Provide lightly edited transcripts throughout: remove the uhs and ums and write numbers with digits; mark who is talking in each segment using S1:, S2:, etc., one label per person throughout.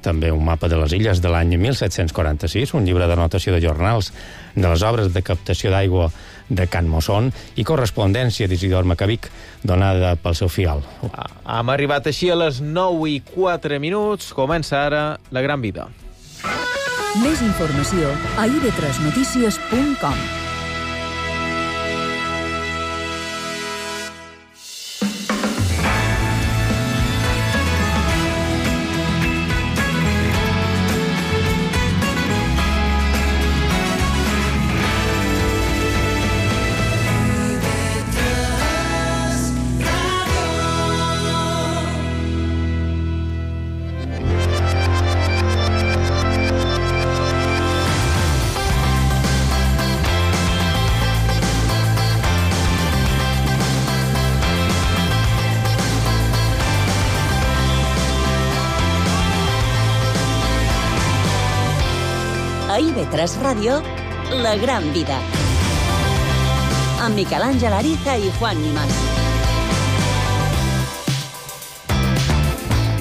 S1: també un mapa de les illes de l'any 1746, un llibre d'anotació de jornals de les obres de captació d'aigua de Can Mossón i correspondència d'Isidor Macavic donada pel seu fial.
S2: Hem arribat així a les 9:04. Comença ara La Gran Vida.
S3: Més informació a ib3notícies.com.
S4: A IB3 Ràdio, La Gran Vida. Amb Miquel Àngel Ariza i Juan Nimas.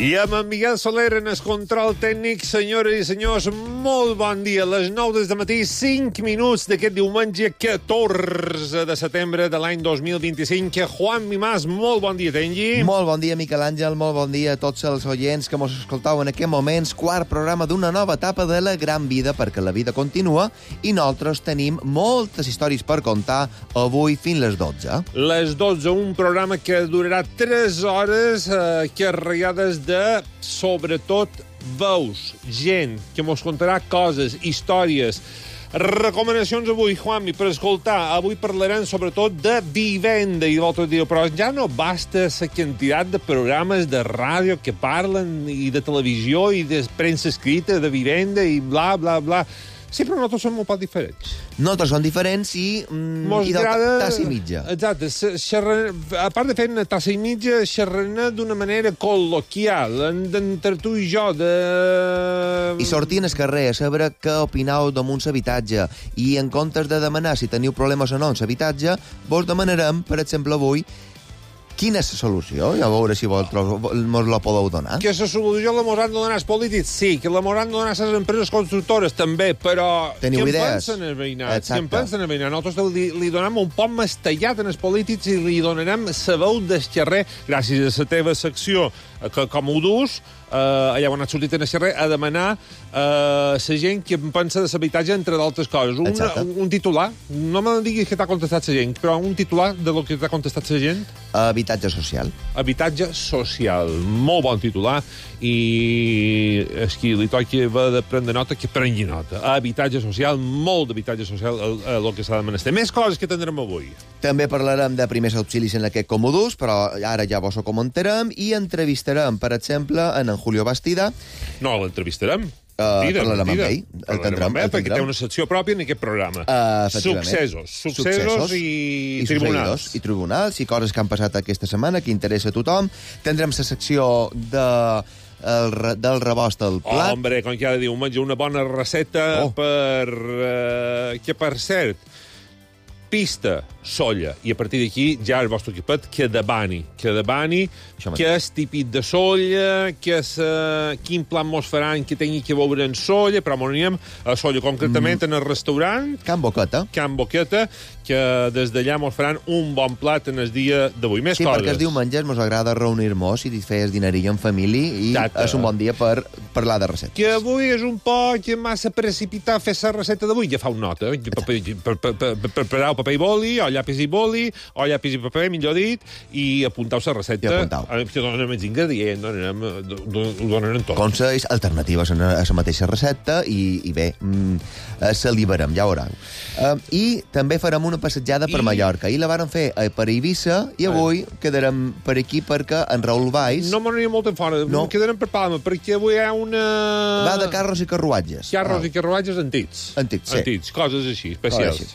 S5: I amb en Miguel Soler en el control tècnic. Senyores i senyors, molt bon dia. A les 9 del matí, 5 minuts d'aquest diumenge 14 de setembre de l'any 2025. Juan Nimas, molt bon dia, Tengi.
S6: Molt bon dia, Miquel Àngel, molt bon dia a tots els oients que mos escoltau en aquests moments. Quart programa d'una nova etapa de La Gran Vida, perquè la vida continua i nosaltres tenim moltes històries per contar avui fins les 12.
S5: Les 12, un programa que durarà 3 hores carregades de, sobretot, veus, gent que mos contarà coses, històries, recomanacions avui, Juanmi, per escoltar. Avui parlarem sobretot de vivenda i l'altre dia, però ja no basta la quantitat de programes de ràdio que parlen i de televisió i de premsa escrita de vivenda i bla, bla, bla. Sí, però nosaltres som molt poc diferents.
S6: Nosaltres som diferents i de tassa i mitja.
S5: Exacte. A part de fer una tassa i mitja, xerrant d'una manera col·loquial, entre tu i jo,
S6: I sortir al carrer a saber què opinau damunt l'habitatge. I en comptes de demanar si teniu problemes o no en l'habitatge, vos demanarem, per exemple, avui, quina és la solució? I a veure si vosaltres mos la podeu donar.
S5: Que la solució la mos han de donar els polítics? Sí. Que la mos han de donar les empreses constructores? També. Però
S6: teniu idees?
S5: Què en pensen els veïnats? Què en pensen els veïnats? Nosaltres li donem un poc mastellat als polítics i li donarem la veu del carrer gràcies a la teva secció, que com ho dus, allà on has sortit en el carrer, a demanar la gent que pensa de l'habitatge, entre d'altres coses. Un titular. No me diguis que t'ha contestat la gent, però un titular de lo que t'ha contestat la gent.
S6: Habitatge social.
S5: Habitatge social. Molt bon titular. I qui li toqui haver de prendre nota, que prengui nota. Habitatge social, molt d'habitatge social, el que s'ha de menester. Més coses que tindrem avui.
S6: També parlarem de primers auxilis en aquest Comodús, però ara ja vos ho comentarem, i entrevistarem, per exemple, en Julio Bastida.
S5: No, l'entrevistarem.
S6: Parlarem amb ell. El tindrem.
S5: Perquè té una secció pròpia en aquest programa. Successos i tribunals.
S6: I tribunals, i coses que han passat aquesta setmana, que interessa a tothom. Tindrem la secció del rebost al plat.
S5: Hombre, com cada diumenge, una bona receta que, per cert, pista, solla, i a partir d'aquí ja el vostre equipet que demani, que és típic de solla, quin plan mos faran que tingui que veure en solla, però m'ho anem a solla, concretament en el restaurant
S6: Can Boqueta,
S5: que des d'allà mos faran un bon plat en el dia d'avui. Més coses.
S6: Sí, perquè els diumenges mos agrada reunir-nos i fer el dinerillo en família i és un bon dia per parlar de receptes.
S5: Que avui és un poc massa precipitat fer la recepta d'avui, ja fa una nota, prepareu paper i boli, o llapis i boli, o llapis i paper, millor dit, i apuntau la recepta. Que donem els ingredients, ho donarem tot.
S6: Consells, alternatives a la mateixa recepta, i bé, se liberem, ja ho veureu. I també farem una passejada per Mallorca. I la vàrem fer per Eivissa, i avui quedarem per aquí perquè en Raül Valls...
S5: No m'aniria molt en fora, quedarem per Palma, perquè avui hi ha una...
S6: Va de carros i carruatges.
S5: Carros i carruatges antics.
S6: Antics,
S5: coses així, especials.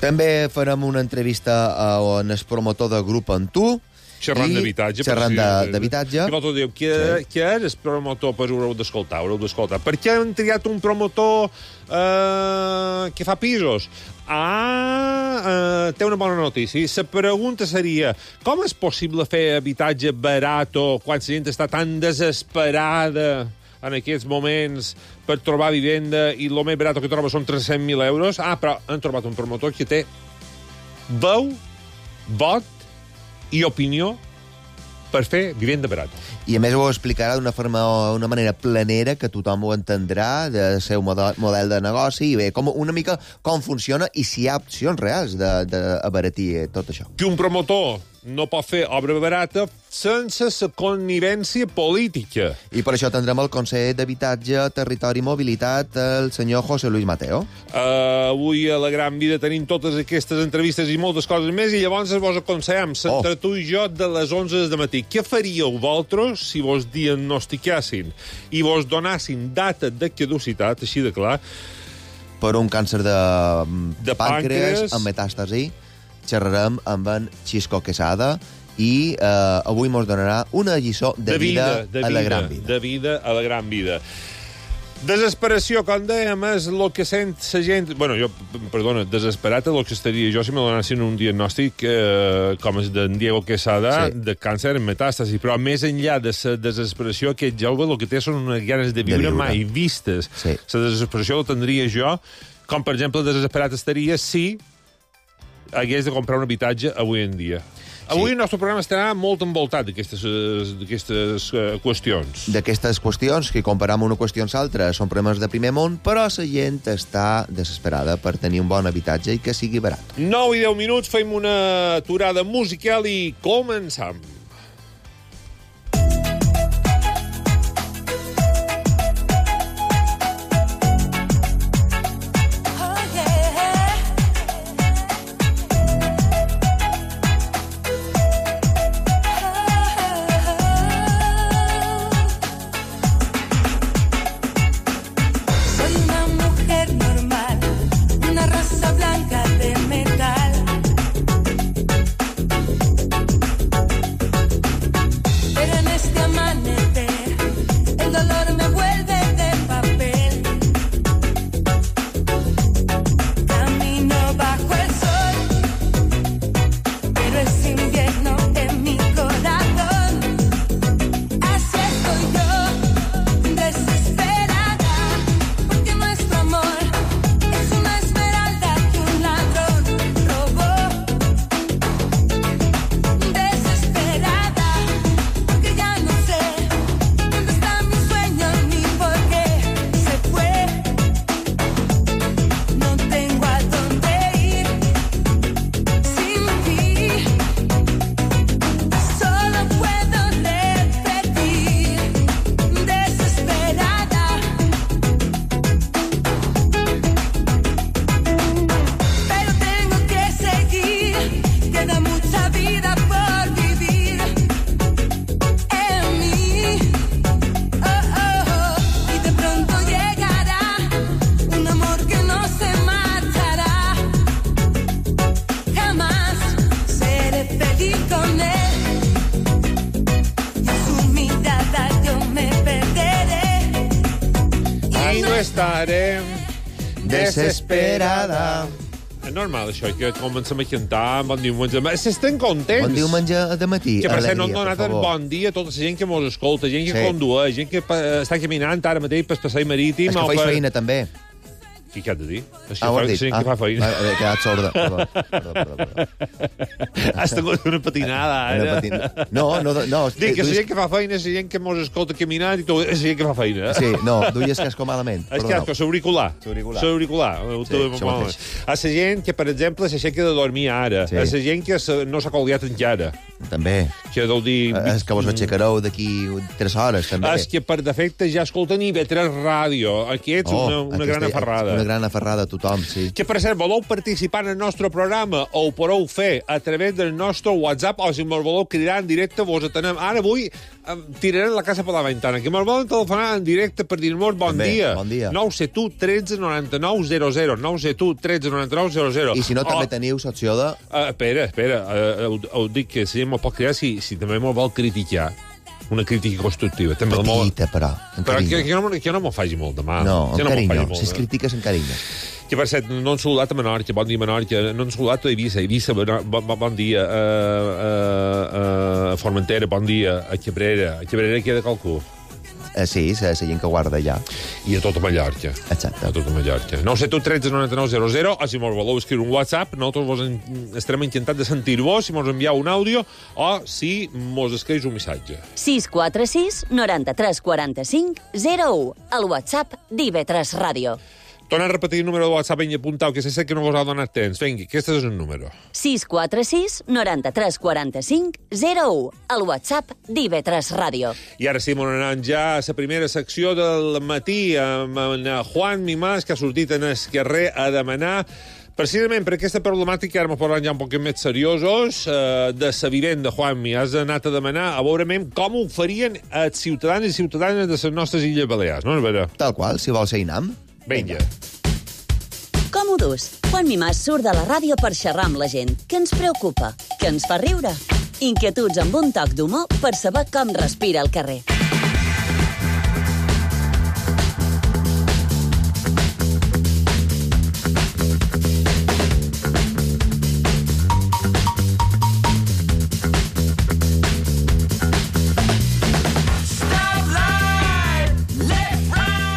S6: També farem una entrevista on el promotor del grup Antú.
S5: Xerrant d'habitatge.
S6: I
S5: l'altre diu, què és el promotor? Pues ho haureu d'escoltar. Per què han triat un promotor que fa pisos? Té una bona notícia. La pregunta seria, com és possible fer habitatge barat quan la gent està tan desesperada en aquests moments per trobar vivenda i el més barat que troba són 300.000 euros. Però han trobat un promotor que té veu, vot i opinió per fer vivenda barata.
S6: I a més ho explicarà d'una manera planera que tothom ho entendrà, de seu model de negoci, i bé, una mica com funciona i si hi ha opcions reals d'abaratir tot això.
S5: Que un promotor no pot fer obra barata sense la connivència política.
S6: I per això tindrem el conseller d'Habitatge, Territori i Mobilitat, el senyor José Luis Mateo.
S5: Avui a La Gran Vida tenim totes aquestes entrevistes i moltes coses més, i llavors vos aconsellem, entre tu i jo, de les 11 de matí. Què faríeu vosaltres si vos diagnosticassin i vos donassin data de caducitat, així de clar,
S6: per un càncer de pàncreas amb metàstasi? Xerrarem amb en Xisco Quesada i avui mos donarà una lliçó de vida a la gran vida.
S5: De vida a la gran vida. Desesperació, com dèiem, és el que sent la gent... desesperat és el que estaria jo si me donessin un diagnòstic com el d'en Diego Quesada, de càncer en metàstasi. Però més enllà de la desesperació, aquest jove el que té són unes ganes de viure mai vistes. La desesperació la tindria jo, com per exemple desesperat estaria si hagués de comprar un habitatge avui en dia. Avui el nostre programa estarà molt envoltat d'aquestes qüestions.
S6: D'aquestes qüestions, que comparam una qüestió amb l'altra, són problemes de primer món, però la gent està desesperada per tenir un bon habitatge i que sigui barat.
S5: 9 i 10 minuts, fem una aturada musical i començam. Estarem desesperada. És normal, això, que comencem a cantar bon diumenge. S'estan contents.
S6: Bon diumenge de matí.
S5: Que per cert, no han donat bon dia a tota la gent que mos escolta, gent que condueix, gent que està caminant ara mateix per passeig marítim.
S6: És que faig feina, també.
S5: Què has de dir? Ho has dit. Gent que fa feina.
S6: He quedat sorda. Perdó.
S5: Has tingut una patinada, ara.
S6: No.
S5: Dic que la gent que fa feina és la gent que mos escolta caminant i tot, és la gent que fa feina.
S6: Sí, no, duies casco malament.
S5: És casco, l'auricular. A la gent que, per exemple, s'aixeca de dormir ara. A la gent que no s'ha colgat encara.
S6: També.
S5: Que deu dir...
S6: És que vos aixecareu d'aquí 3 hores, també.
S5: És que, per defecte, ja escolten IB3 Ràdio. Aquí ets una gran aferrada.
S6: Una gran aferrada a tothom, sí.
S5: Que, per cert, voleu participar en el nostre programa o ho podeu fer a través del nostre WhatsApp o si me'l voleu cridar en directe, vos atenem. Ara avui tirarem la casa per la ventana. Que me'l volen telefonar en directe per dir-nos bon dia.
S6: Bon dia.
S5: 971 13 99 00. 971 13 99 00.
S6: I si no, també teniu l'opció de...
S5: Espera. Ho dic que si me'l pot cridar si també me'l vol criticar. Una crítica constructiva.
S6: Petita, però.
S5: Però que no m'ho faci molt de mal.
S6: No, en carinyo. Si es critiques, en carinyo.
S5: Que, per cert, no han saludat a Menorca. Bon dia, Menorca. No han saludat a Eivissa. Eivissa, bon dia. A Formentera, bon dia. A Cabrera. A Cabrera queda qualcú.
S6: Sí, la gent que guarda allà.
S5: I a tota Mallorca.
S6: Exacte.
S5: A tota Mallorca. 972 13 99 00, o si mos voleu escriure un WhatsApp, nosaltres estarem encantats de sentir-vos, si mos envieu un àudio o si mos escrius un missatge.
S4: 646 93 45 01, el WhatsApp d'IV3 Ràdio.
S5: Torna a repetir el número de WhatsApp i apuntau, que sé que no vos ha donat temps. Vinga, aquest és el número.
S4: 646 93 45 01, el WhatsApp d'IV3 Ràdio.
S5: I ara sí, anem ja a la primera secció del matí amb en Juan Mimàs, que ha sortit en el carrer a demanar precisament per aquesta problemàtica, ara m'ho parlant ja un poc més seriosos, de la vivenda, Juanmi. Has anat a demanar a veure com ho farien els ciutadans i ciutadanes de les nostres Illes Balears, no?
S6: Tal qual, si vols ser INAM.
S5: Vinga.
S4: Com ho dus? Juan Mimàs surt de la ràdio per xerrar amb la gent. Què ens preocupa? Què ens fa riure? Inquietuds amb un toc d'humor per saber com respira el carrer.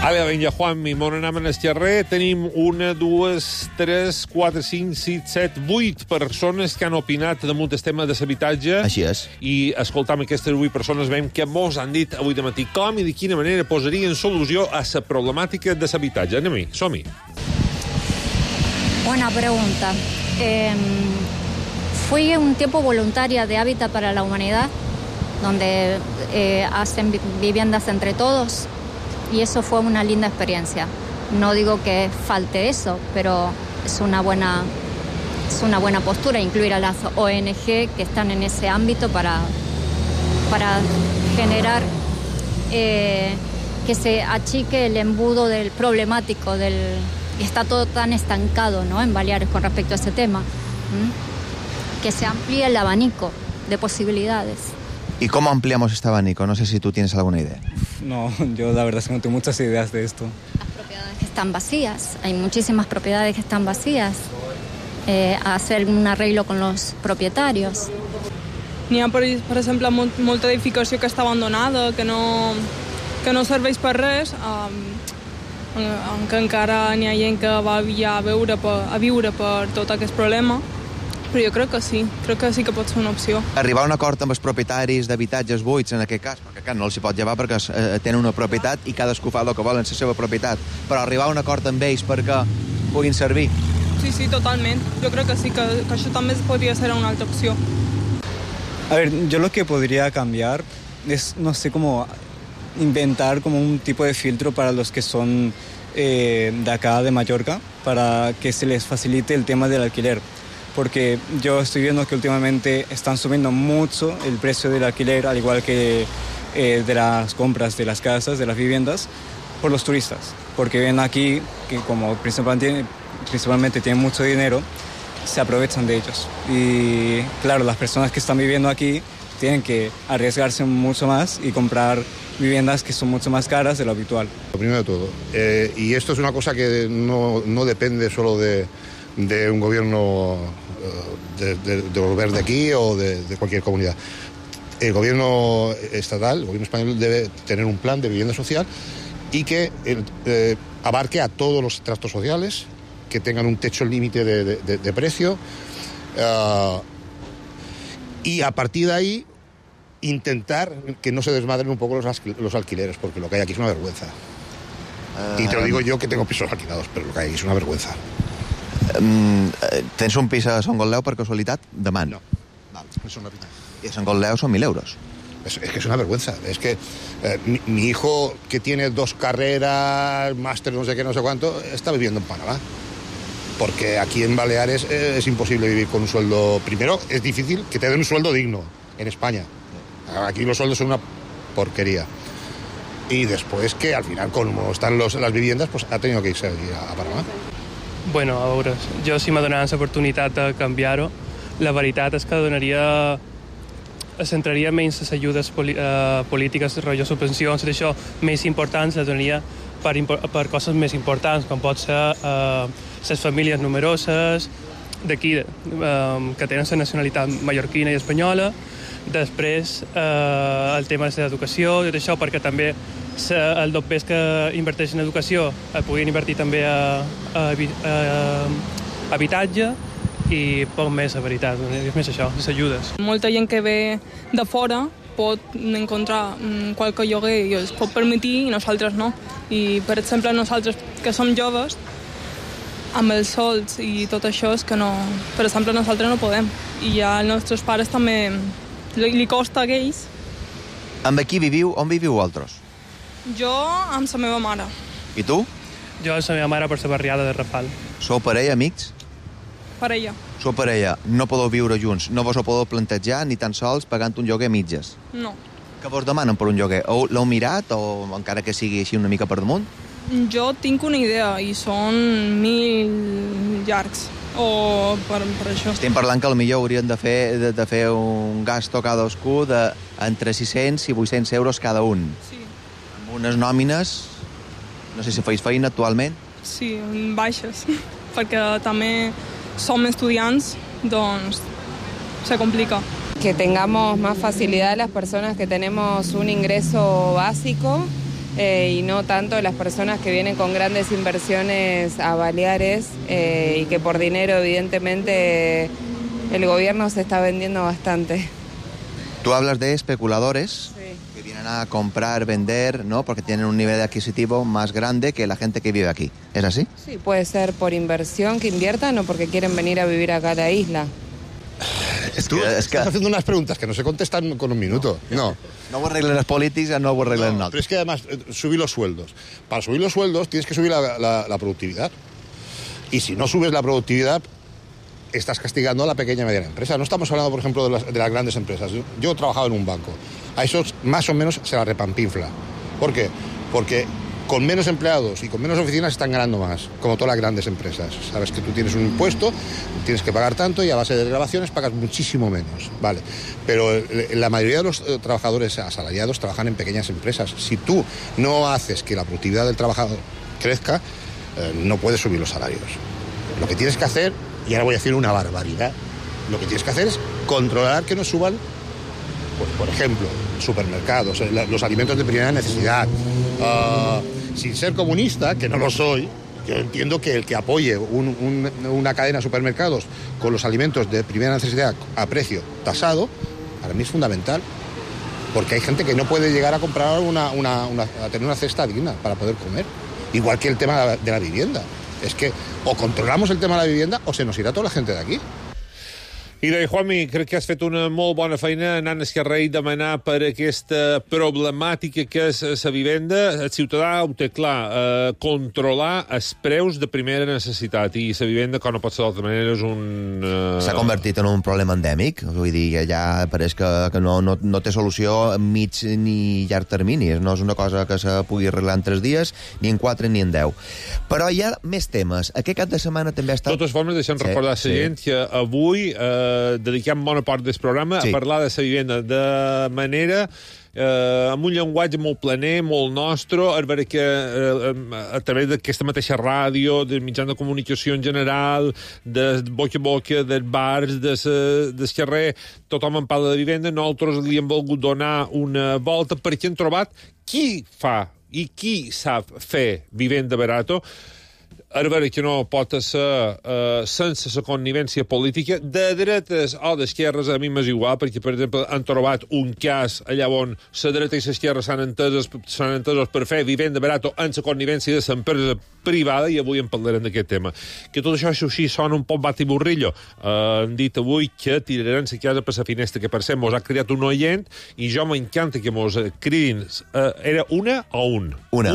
S5: Ara, vinga, Juanmi, on anem en el carrer. Tenim 1, 2, 3, 4, 5, 6, 7, 8 persones que han opinat damunt el tema de l'habitatge.
S6: Així és.
S5: I escoltam aquestes 8 persones, veiem que mos han dit avui de matí com i de quina manera posarien solució a la problemàtica de l'habitatge. Anem-hi, som-hi.
S7: Buena pregunta. Fui un tiempo voluntaria de Hábitat para la Humanidad, donde hacen viviendas entre todos. Y eso fue una linda experiencia. No digo que falte eso, pero es una buena postura incluir a las ONG que están en ese ámbito para generar que se achique el embudo del problemático, está todo tan estancado, ¿no?, en Baleares con respecto a ese tema. Que se amplíe el abanico de posibilidades.
S6: ¿Y cómo ampliamos este abanico? No sé si tú tienes alguna idea.
S8: No, yo la verdad es que no tengo muchas ideas de esto.
S7: Las propiedades que están vacías, hay muchísimas propiedades que están vacías. Hacer un arreglo con los propietarios.
S9: N'hi ha, per exemple, molta edificació que està abandonada, que no serveix per res, que encara n'hi ha gent que va ja a viure per tot aquest problema. Però jo crec que sí que pot ser una opció.
S6: Arribar a un acord amb els propietaris d'habitatges buits, en aquest cas, perquè no els hi pot llevar perquè tenen una propietat i cadascú fa el que vol en la seva propietat, però arribar a un acord amb ells perquè puguin servir.
S9: Sí, totalment. Jo crec que sí, que això també podria ser una altra opció.
S8: A ver, yo lo que podría cambiar es, no sé, como inventar como un tipo de filtro para los que son de acá, de Mallorca, para que se les facilite el tema del alquiler. Porque yo estoy viendo que últimamente están subiendo mucho el precio del alquiler, al igual que de las compras de las casas, de las viviendas, por los turistas. Porque ven aquí que como principalmente tienen mucho dinero, se aprovechan de ellos. Y claro, las personas que están viviendo aquí tienen que arriesgarse mucho más y comprar viviendas que son mucho más caras de lo habitual.
S10: Lo primero de todo, y esto es una cosa que no depende solo de un gobierno de volver de aquí o de cualquier comunidad. El gobierno estatal, el gobierno español, debe tener un plan de vivienda social y que abarque a todos los estratos sociales, que tengan un techo límite de precio, y a partir de ahí intentar que no se desmadren un poco los alquileres, porque lo que hay aquí es una vergüenza. Y te lo digo yo, que tengo pisos alquilados, pero lo que hay aquí es una vergüenza.
S6: Tens un pis a Sant Gotleu, per casualitat? Demant.
S10: No. Val. Es una pena.
S6: I a Sant Gotleu són 1.000 euros.
S10: Es que es una vergüenza. Es que mi hijo, que tiene 2 carreras, máster, no sé qué, no sé cuánto, está viviendo en Panamá. Porque aquí en Baleares es imposible vivir con un sueldo. Primero, es difícil que te den un sueldo digno en España. Aquí los sueldos son una porquería. Y después que al final, como están las viviendas, pues ha tenido que irse a Panamà.
S11: Bueno, a veure, jo si m'ha donat l'oportunitat de canviar-ho, la veritat és que es centraria menys les ajudes polítiques, rotllo subvencions, això més importants, les donaria per coses més importants, com pot ser les famílies numeroses d'aquí, que tenen la nacionalitat mallorquina i espanyola, després el tema de l'educació, tot això, perquè també els dobbers que inverteixen en educació puguin invertir també a habitatge i poc més, la veritat, és més això, les ajudes.
S9: Molta gent que ve de fora pot encontrar qualque lloguer i es pot permetir i nosaltres no. I, per exemple, nosaltres que som joves, amb els sols i tot això és que no... Per exemple, nosaltres no podem. I ja als nostres pares també li costa a ells.
S6: Amb qui viviu? On viviu vosaltres?
S9: Jo amb la meva mare.
S6: I tu?
S11: Jo amb la meva mare per la barriada de Rafal.
S6: Sou parella, amics?
S9: Parella.
S6: Sou parella, no podeu viure junts, no vos ho podeu plantejar ni tan sols pagant un lloguer a mitges.
S9: No.
S6: Què vos demanen per un lloguer? L'heu mirat o encara que sigui així una mica per damunt?
S9: Jo tinc una idea i són 1.000 llargs. O per això.
S6: Estem parlant que potser haurien de fer un gasto cadascú entre 600 i 800 euros cada un.
S9: Sí.
S6: Amb unes nòmines, no sé si feis feina actualment.
S9: Sí, baixes, perquè també som estudiants, doncs se complica.
S12: Que tengamos más facilidad las personas que tenemos un ingreso básico y no tanto las personas que vienen con grandes inversiones a Baleares y que por dinero evidentemente el gobierno se está vendiendo bastante.
S6: Tú hablas de especuladores que vienen a comprar, vender, ¿no? Porque tienen un nivel adquisitivo más grande que la gente que vive aquí. ¿Es así?
S12: Sí, puede ser por inversión que inviertan o porque quieren venir a vivir acá a la isla.
S10: Estás haciendo unas preguntas que no se contestan con un minuto. No
S6: ho arreglen els polítics, no ho arreglen nosaltres.
S10: Pero es que además, subir los sueldos. Para subir los sueldos tienes que subir la productividad. Y si no subes la productividad, estás castigando a la pequeña y mediana empresa. No estamos hablando, por ejemplo, de las grandes empresas. Yo he trabajado en un banco. A esos más o menos se la repampinfla. ¿Por qué? Porque con menos empleados y con menos oficinas están ganando más, como todas las grandes empresas. Sabes que tú tienes un impuesto, tienes que pagar tanto y a base de desgravaciones pagas muchísimo menos, ¿vale? Pero la mayoría de los trabajadores asalariados trabajan en pequeñas empresas. Si tú no haces que la productividad del trabajador crezca, no puedes subir los salarios. Lo que tienes que hacer, y ahora voy a decir una barbaridad, lo que tienes que hacer es controlar que no suban, pues, por ejemplo, supermercados, los alimentos de primera necesidad. Sin ser comunista, que no lo soy, yo entiendo que el que apoye una cadena de supermercados con los alimentos de primera necesidad a precio tasado, para mí es fundamental, porque hay gente que no puede llegar a comprar a tener una cesta digna para poder comer. Igual que el tema de la vivienda. Es que o controlamos el tema de la vivienda o se nos irá toda la gente de aquí.
S5: I deia, Juanmi, crec que has fet una molt bona feina anant a Esquerra i demanar per aquesta problemàtica que és la vivenda. El ciutadà ho té clar, controlar els preus de primera necessitat, i la vivenda, com no pot ser d'altra manera, és un...
S6: S'ha convertit en un problema endèmic, vull dir, que ja pareix que no té solució a mig ni llarg termini, no és una cosa que se pugui arreglar en 3 dies, ni en 4 ni en 10. Però hi ha més temes. Aquest cap de setmana també ha estat...
S5: De totes formes, deixem recordar a la gent que avui dediquem bona part del programa a parlar de la vivenda de manera amb un llenguatge molt planer, molt nostre, a veure que a través d'aquesta mateixa ràdio, del mitjans de comunicació en general, de boca a boca, dels bars, del carrer, tothom en parla de vivenda. Nosaltres li hem volgut donar una volta perquè hem trobat qui fa i qui sap fer vivenda barato. A veure que no pot ser sense la connivència política de dretes o d'esquerres. A mi m'és igual, perquè, per exemple, han trobat un cas allà on la dreta i l'esquerra s'han entesos per fer vivenda barato en la connivència de l'empresa privada, i avui en parlarem d'aquest tema. Que tot això, així, sona un poc batiburrillo. Han dit avui que tiraran la casa per la finestra, que per cert mos ha cridat un oient, i jo m'encanta que mos cridin. Era una o un? Una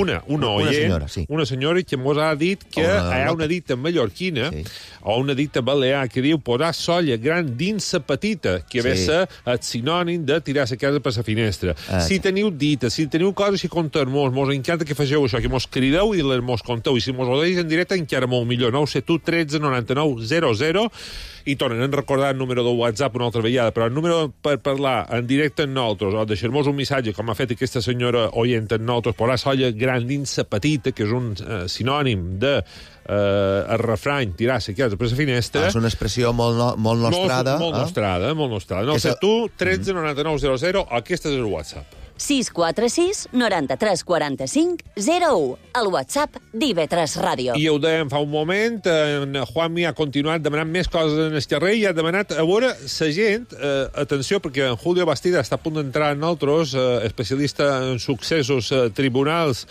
S5: oient,
S6: senyora, sí.
S5: Una senyora que mos ha dit que hi ha una dita mallorquina, o una dita balear, que diu posar solla gran dins la petita, que ve ser el sinònim de tirar la casa per la finestra. Si teniu dites, si teniu coses que contar-mos, mos encanta que fegeu això, que mos crideu i les mos conteu, i si mos ho deis en directe encara molt millor. 971 13 99 00, i tornen a recordar el número de WhatsApp una altra vegada, però el número per parlar en directe amb nosaltres, o deixar-nos un missatge, com ha fet aquesta senyora oient amb nosaltres, posar solla gran dins la petita, que és un sinònim de el refrany, tirar la casa per la finestra.
S6: És una expressió molt nostrada.
S5: Molt nostrada. 971 13 99 00, aquest és el WhatsApp.
S4: 646 93 45 01, al WhatsApp d'IV3 Ràdio.
S5: I ho dèiem fa un moment, en Juanmi ha continuat demanant més coses en el carrer i ha demanat a veure la gent, atenció, perquè en Julio Bastida està a punt d'entrar en altres, especialista en successos, tribunals,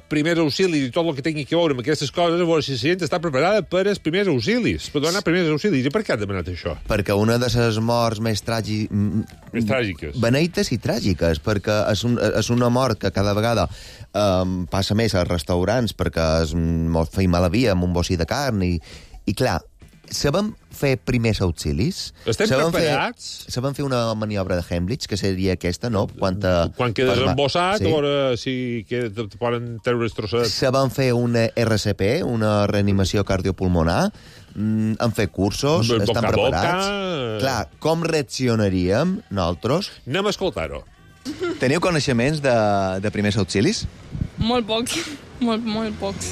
S5: primers auxilis i tot el que tingui que veure amb aquestes coses, a veure si la gent està preparada per els primers auxilis, per donar primers auxilis. I per què ha demanat això?
S6: Perquè una de les morts més
S5: tràgiques.
S6: Beneites i tràgiques, perquè és una mort que cada vegada passa més als restaurants perquè mos feim a la via amb un bocí de carn i clar, sabem fer primers auxilis.
S5: Estem preparats?
S6: Sabem fer una maniobra de Heimlich, que seria aquesta, no? Quan
S5: quedes embossat, sí. A veure si te poden treure els trossets.
S6: Sabem fer una RCP, una reanimació cardiopulmonar, han fet cursos, estan preparats. Clar, com reaccionaríem nosaltres?
S5: Anem a escoltar-ho.
S6: Teniu coneixements de primers auxilis?
S9: Molt pocs, molt pocs.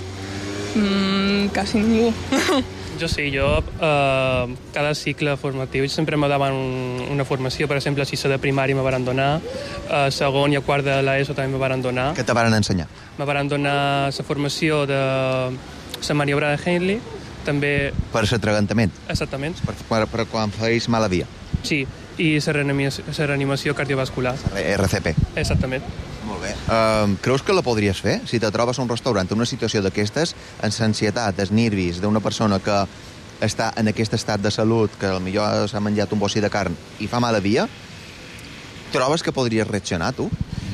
S9: Quasi ningú.
S11: Jo sí, cada cicle formatiu sempre me daven una formació, per exemple, a sisè de primària me van donar, a segon i a quart de l'ESO també me van donar.
S6: Què te van ensenyar?
S11: Me van donar la formació de la maniobra de Heimlich, també...
S6: Per l'atragantament?
S11: Exactament.
S6: Per quan feis mala via?
S11: Sí, i la reanimació cardiovascular.
S6: RCP.
S11: Exactament.
S6: Molt bé. Creus que la podries fer? Si te trobes a un restaurant en una situació d'aquestes, en l'ansietat, els nervis d'una persona que està en aquest estat de salut, que potser s'ha menjat un bocí de carn i fa mala via, trobes que podries reaccionar, tu?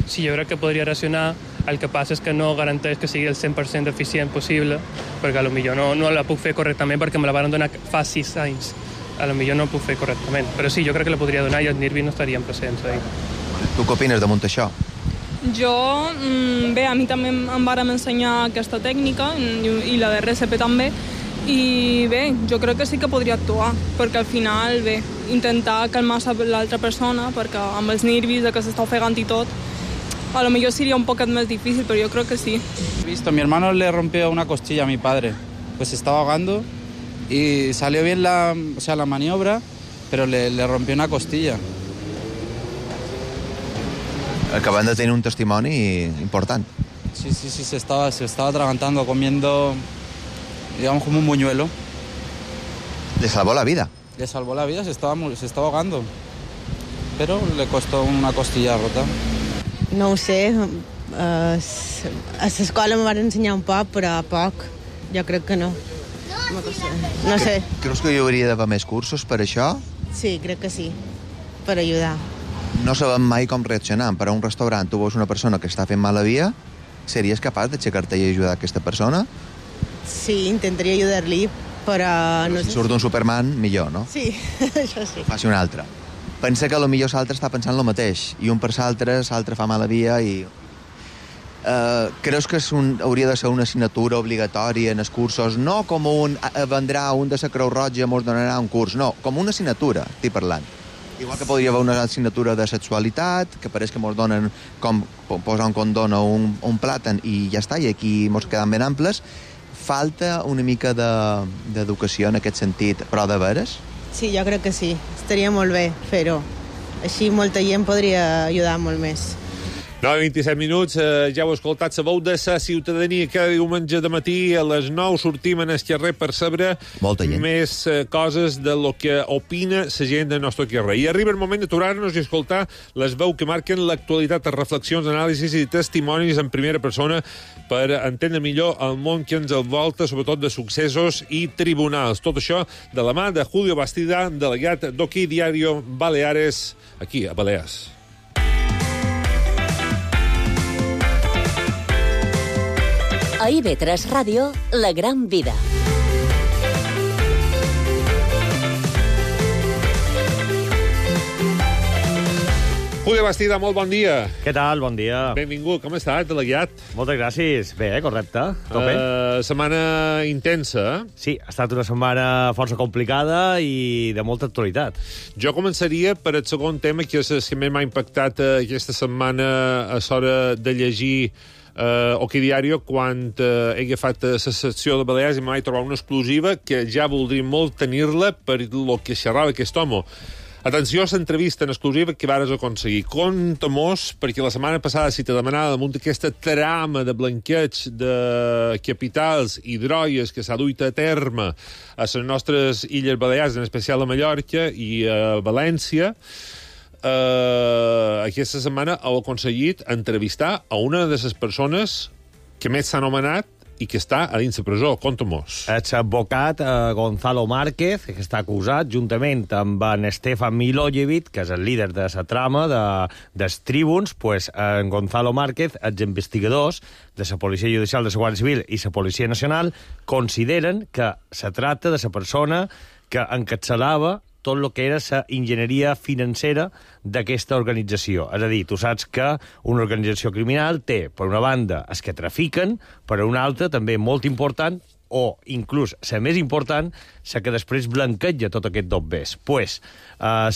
S11: Sí, jo crec que podria reaccionar. El que passa és que no garanteix que sigui el 100% eficient possible, perquè potser no la puc fer correctament perquè me la van donar fa 6 anys. Potser no ho puc fer correctament. Però sí, jo crec que la podria donar i els nervis no estarien presents ahí.
S6: Tu què opines damunt això?
S9: Jo, bé, a mi també em varen ensenyar aquesta tècnica i la de RCP també, i bé, jo crec que sí que podria actuar, perquè al final, bé, intentar calmar l'altra persona, perquè amb els nervis de que s'està ofegant i tot, a lo mejor sería un poco más difícil, pero yo creo que sí.
S13: He visto, mi hermano le rompió una costilla a mi padre, pues se estaba ahogando y salió bien la maniobra, pero le rompió una costilla.
S6: Acaban de tener un testimoni important.
S13: Sí, se estaba atragantando, comiendo, digamos, como un buñuelo.
S6: ¿Le salvó la vida?
S13: Le salvó la vida, se estaba ahogando, pero le costó una costilla rota.
S14: No ho sé, a l'escola me van ensenyar un poc, però poc. Jo crec que no. No sé.
S6: Creus que hi hauria d'haver més cursos per això?
S14: Sí, crec que sí, per ajudar.
S6: No sabem mai com reaccionar. Per a un restaurant tu veus una persona que està fent mala via, series capaç d'aixecar-te i ajudar aquesta persona?
S14: Sí, intentaria ajudar-li, però...
S6: No si surt un Superman, millor, no?
S14: Sí, això sí.
S6: Faci un altre. Pensa que potser l'altre està pensant el mateix, i un per l'altre fa mala via i... Creus que hauria de ser una assignatura obligatòria en els cursos? No com vendrà un de la Creu Roja i mos donarà un curs, no, com una assignatura, estic parlant. Igual que podria haver una assignatura de sexualitat, que pareix que mos donen com posar un condón o un plàtan i ja està, i aquí mos quedem ben amples. Falta una mica d'educació en aquest sentit, però de veres?
S14: Sí, jo crec que sí. Estaria molt bé fer-ho. Així molta gent podria ajudar molt més.
S5: 9:27 minuts, ja heu escoltat la veu de la ciutadania. Cada diumenge de matí a les 9 sortim en el carrer per saber més coses de lo que opina la gent del nostre carrer. I arriba el moment d'aturar-nos i escoltar les veus que marquen l'actualitat, reflexions, anàlisis i testimonis en primera persona per entendre millor el món que ens envolta, sobretot de successos i tribunals. Tot això de la mà de Julio Bastida, delegat d'Oki Diario Baleares, aquí a Balears.
S4: A IV3 Ràdio, La Gran Vida.
S5: Julio Bastida, molt bon dia.
S15: Què tal? Bon dia.
S5: Benvingut. Com estàs, delegat?
S15: Moltes gràcies. Bé, correcte. Tope.
S5: Setmana intensa, eh?
S15: Sí, ha estat una setmana força complicada i de molta actualitat.
S5: Jo començaria per el segon tema, que és el que més m'ha impactat aquesta setmana a l'hora de llegir Oki Diario, quan he agafat la secció de Balears i m'he trobat una exclusiva que ja voldria molt tenir-la per lo que xerrava aquest home. Atenció a l'entrevista en exclusiva que vares aconseguir. Conta-mos, perquè la setmana passada, si te demanava damunt aquesta trama de blanqueig de capitals i drogues que s'ha duit a terme a les nostres Illes Balears, en especial a Mallorca i a València, aquesta setmana heu aconseguit entrevistar a una de les persones que més s'ha anomenat i que està a dins la presó. Conta-mos.
S15: L'advocat Gonzalo Márquez, que està acusat, juntament amb en Stefan Milojevic, que és el líder de la trama dels tribuns, pues, en Gonzalo Márquez, els investigadors de la Policia Judicial, de la Guàrdia Civil i la Policia Nacional consideren que se tracta de la persona que encapçalava tot el que era la enginyeria financera d'aquesta organització. És a dir, tu saps que una organització criminal té, per una banda, els que trafiquen, per una altra, també molt important, o inclús la més important, la que després blanqueja tot aquest dobbers. Pues, la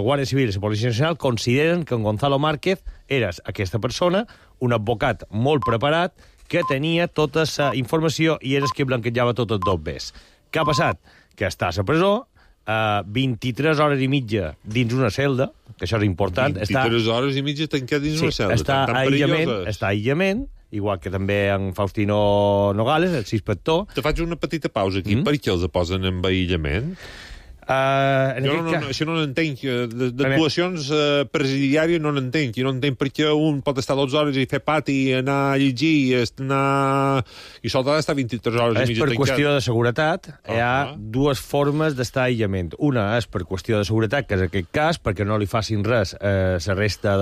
S15: Guàrdia Civil i la Policia Nacional consideren que en Gonzalo Márquez era aquesta persona, un advocat molt preparat, que tenia tota la informació i era el que blanquejava tot el dobbers. Què ha passat? Que està a la presó, 23 hores i mitja dins una celda, que això és important.
S5: 23 hores i mitja tancat dins una celda.
S15: Està a aïllament, igual que també en Faustino Nogales, el inspector.
S5: Te faig una petita pausa aquí. Per què els posen en aïllament? Això no n'entenc. D'actuacions presidiàries no n'entenc. I no entenc per què un pot estar 12 hores i fer pati, anar a llegir, i sol d'estar 23 hores i mitja tancat.
S15: És per qüestió de seguretat. Hi ha dues formes d'estar a aïllament. Una és per qüestió de seguretat, que és aquest cas, perquè no li facin res a la resta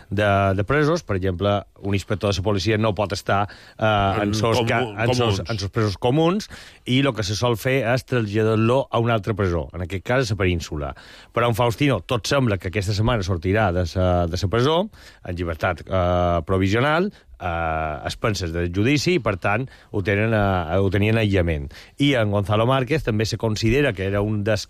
S15: de presos. Per exemple, un inspector de la policia no pot estar en els presos comuns, i el que se sol fer és traslladar-lo a una altra presó, en aquest cas a la península. Però en Faustino tot sembla que aquesta setmana sortirà de la presó, en llibertat provisional, a expenses del judici, i per tant ho tenien aïllament. I en Gonzalo Márquez també se considera que era un dels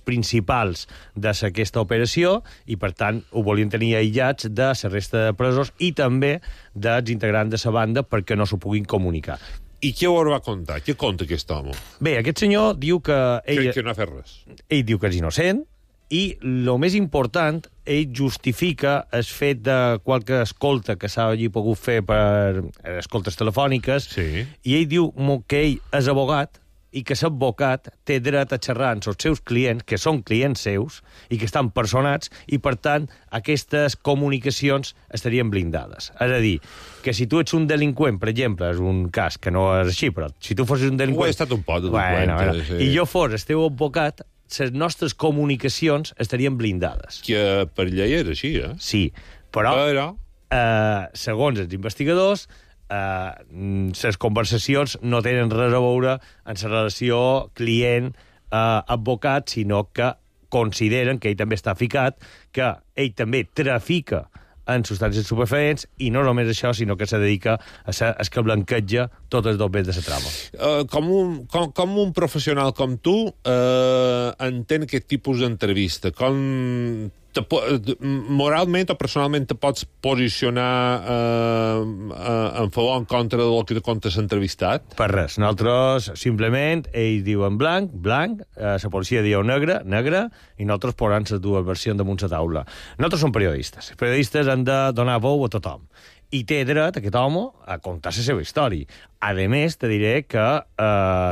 S15: principals d'aquesta operació, i per tant ho volien tenir aïllats de la resta de presos i també dels integrants de la banda perquè no s'ho puguin comunicar.
S5: I què ho va contar? Què conta aquest home?
S15: Bé, aquest senyor diu que
S5: que no ha fet res.
S15: Ell diu que és innocent, i el més important, ell justifica el fet de qualque escolta que s'ha pogut fer per escoltes telefòniques, i ell diu que ell és abogat, i que l'advocat té dret a xerrar amb els seus clients, que són clients seus, i que estan personats, i per tant aquestes comunicacions estarien blindades. És a dir, que si tu ets un delinqüent, per exemple, és un cas que no és així, però si tu fossis un delinqüent...
S5: Ho he estat un poc de delinqüent.
S15: I jo fos el teu advocat, les nostres comunicacions estarien blindades.
S5: Que per llei és així, eh?
S15: Sí, però segons els investigadors, les conversacions no tenen res a veure en la relació client-advocat, sinó que consideren que ell també està ficat, que ell també trafica en substàncies estupefaents, i no només això, sinó que se dedica a ser el que blanqueja tots els dobbers de la trama.
S5: Com un professional com tu entén aquest tipus d'entrevista? Moralment o personalment te pots posicionar en favor o en contra del que te contes entrevistat?
S15: Per res. Nosaltres, simplement, ells diuen blanc, la policia diu negre, i nosaltres posem les dues versions damunt la taula. Nosaltres som periodistes. Els periodistes han de donar veu a tothom. I té dret, aquest home, a contar la seva història. A més, te diré que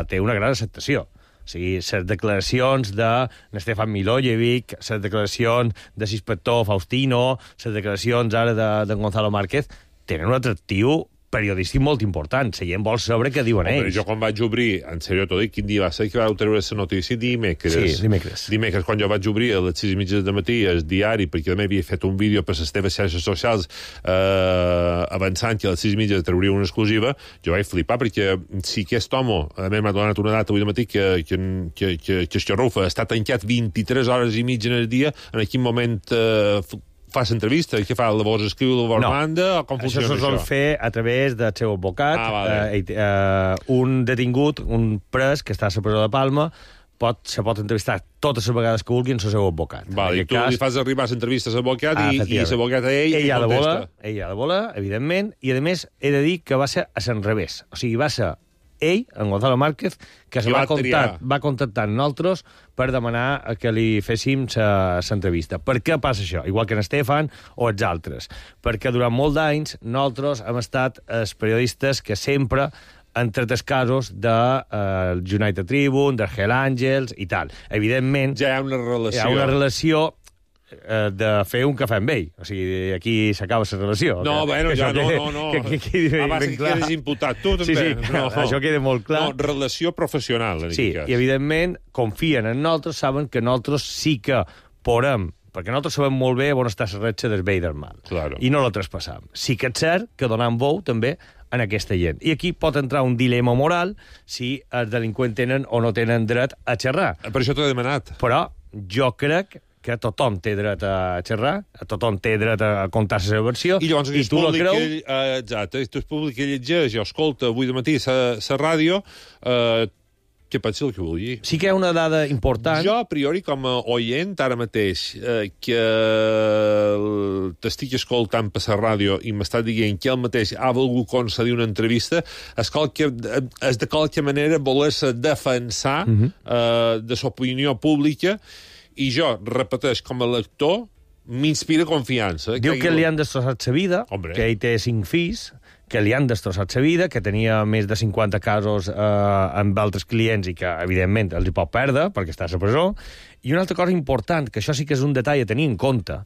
S15: té una gran acceptació. O sigui, les declaracions de Stefan Milojevic, les declaracions de l'inspector Faustino, les declaracions ara de Gonzalo Márquez, tenen un atractiu periodístic molt important. La gent vol saber què diuen ells.
S5: Jo quan vaig obrir, en sèrio t'ho dic, quin dia va ser que vau treure la notícia? Dimecres.
S15: Sí, dimecres.
S5: Dimecres, quan jo vaig obrir a les 6:30 del matí el diari, perquè també havia fet un vídeo per les teves xarxes socials avançant que a les 6:30 trauria una exclusiva, jo vaig flipar, perquè si aquest home, a mi m'ha donat una data avui de matí que Esquerrufa està tancat 23 hores i mitja en el dia, en quin moment fas entrevista? Què fa? La vols escriure, la vols manda? O com funciona això?
S15: Això se sol fer a través del seu advocat. Un detingut, un pres que està a la presó de Palma, se pot entrevistar totes les vegades que vulgui en el seu advocat.
S5: I tu li fas arribar l'entrevista a l'advocat i l'advocat a ell
S15: contesta. Ell ha de voler, evidentment, i a més he de dir que va ser a l'enrevés. O sigui, va ser ell, en Gonzalo Márquez, que se va contactar amb nosaltres per demanar que li féssim l'entrevista. Per què passa això? Igual que en Estefan o els altres. Perquè durant molts d'anys nosaltres hem estat els periodistes que sempre han tret els casos del United Tribune, del Hell Angels i tal. Evidentment,
S5: ja hi ha una relació
S15: de fer un cafè amb ell. O sigui, aquí s'acaba la relació.
S5: No, bueno, ja no. Abans que eres imputat, tu també.
S15: Sí, això queda molt clar.
S5: No, relació professional, en
S15: sí, i evidentment confien en nosaltres, saben que nosaltres sí que podem, perquè nosaltres sabem molt bé on està la retxa del bé i del mal.
S5: Claro.
S15: I no la traspassam. Sí que és cert que donam veu també en aquesta gent. I aquí pot entrar un dilema moral si els delinqüents tenen o no tenen dret a xerrar.
S5: Per això t'ho he demanat.
S15: Però jo crec que tothom té dret a xerrar, tothom té dret a contar la seva versió,
S5: i llavors,
S15: tu la creus...
S5: Exacte, tu és públic que llegeix o escolta avui de matí la ràdio, què pot ser el que vull dir?
S15: Sí que hi ha una dada important.
S5: Jo, a priori, com a oient, ara mateix, que t'estic escoltant per la ràdio i m'està dient que ell mateix ha volgut concedir una entrevista, és de qualque manera voler-se defensar de l'opinió pública. I jo, repeteix, com a lector, m'inspira confiança.
S15: Diu que li han destrossat la vida, que ell té 5 fills, que li han destrossat la vida, que tenia més de 50 casos amb altres clients i que, evidentment, els hi pot perdre perquè està a la presó. I una altra cosa important, que això sí que és un detall a tenir en compte,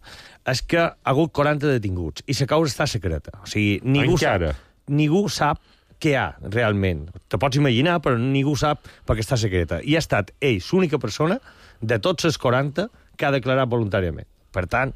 S15: és que ha hagut 40 detinguts i la causa està secreta. O sigui, ningú sap què hi ha realment. Te pots imaginar, però ningú sap perquè està secreta. I ha estat ell, l'única persona de tots els 40 que ha declarat voluntàriament. Per tant,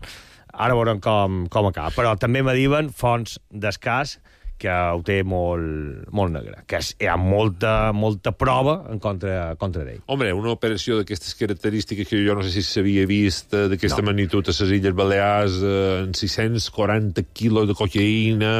S15: ara veurem com acaba. Però també me diuen fonts d'escàs que ho té molt negre, que hi ha molta prova en contra d'ell.
S5: Home, una operació d'aquestes característiques que jo no sé si s'havia vist d'aquesta magnitud a les Illes Balears, en 640 quilos de cocaïna,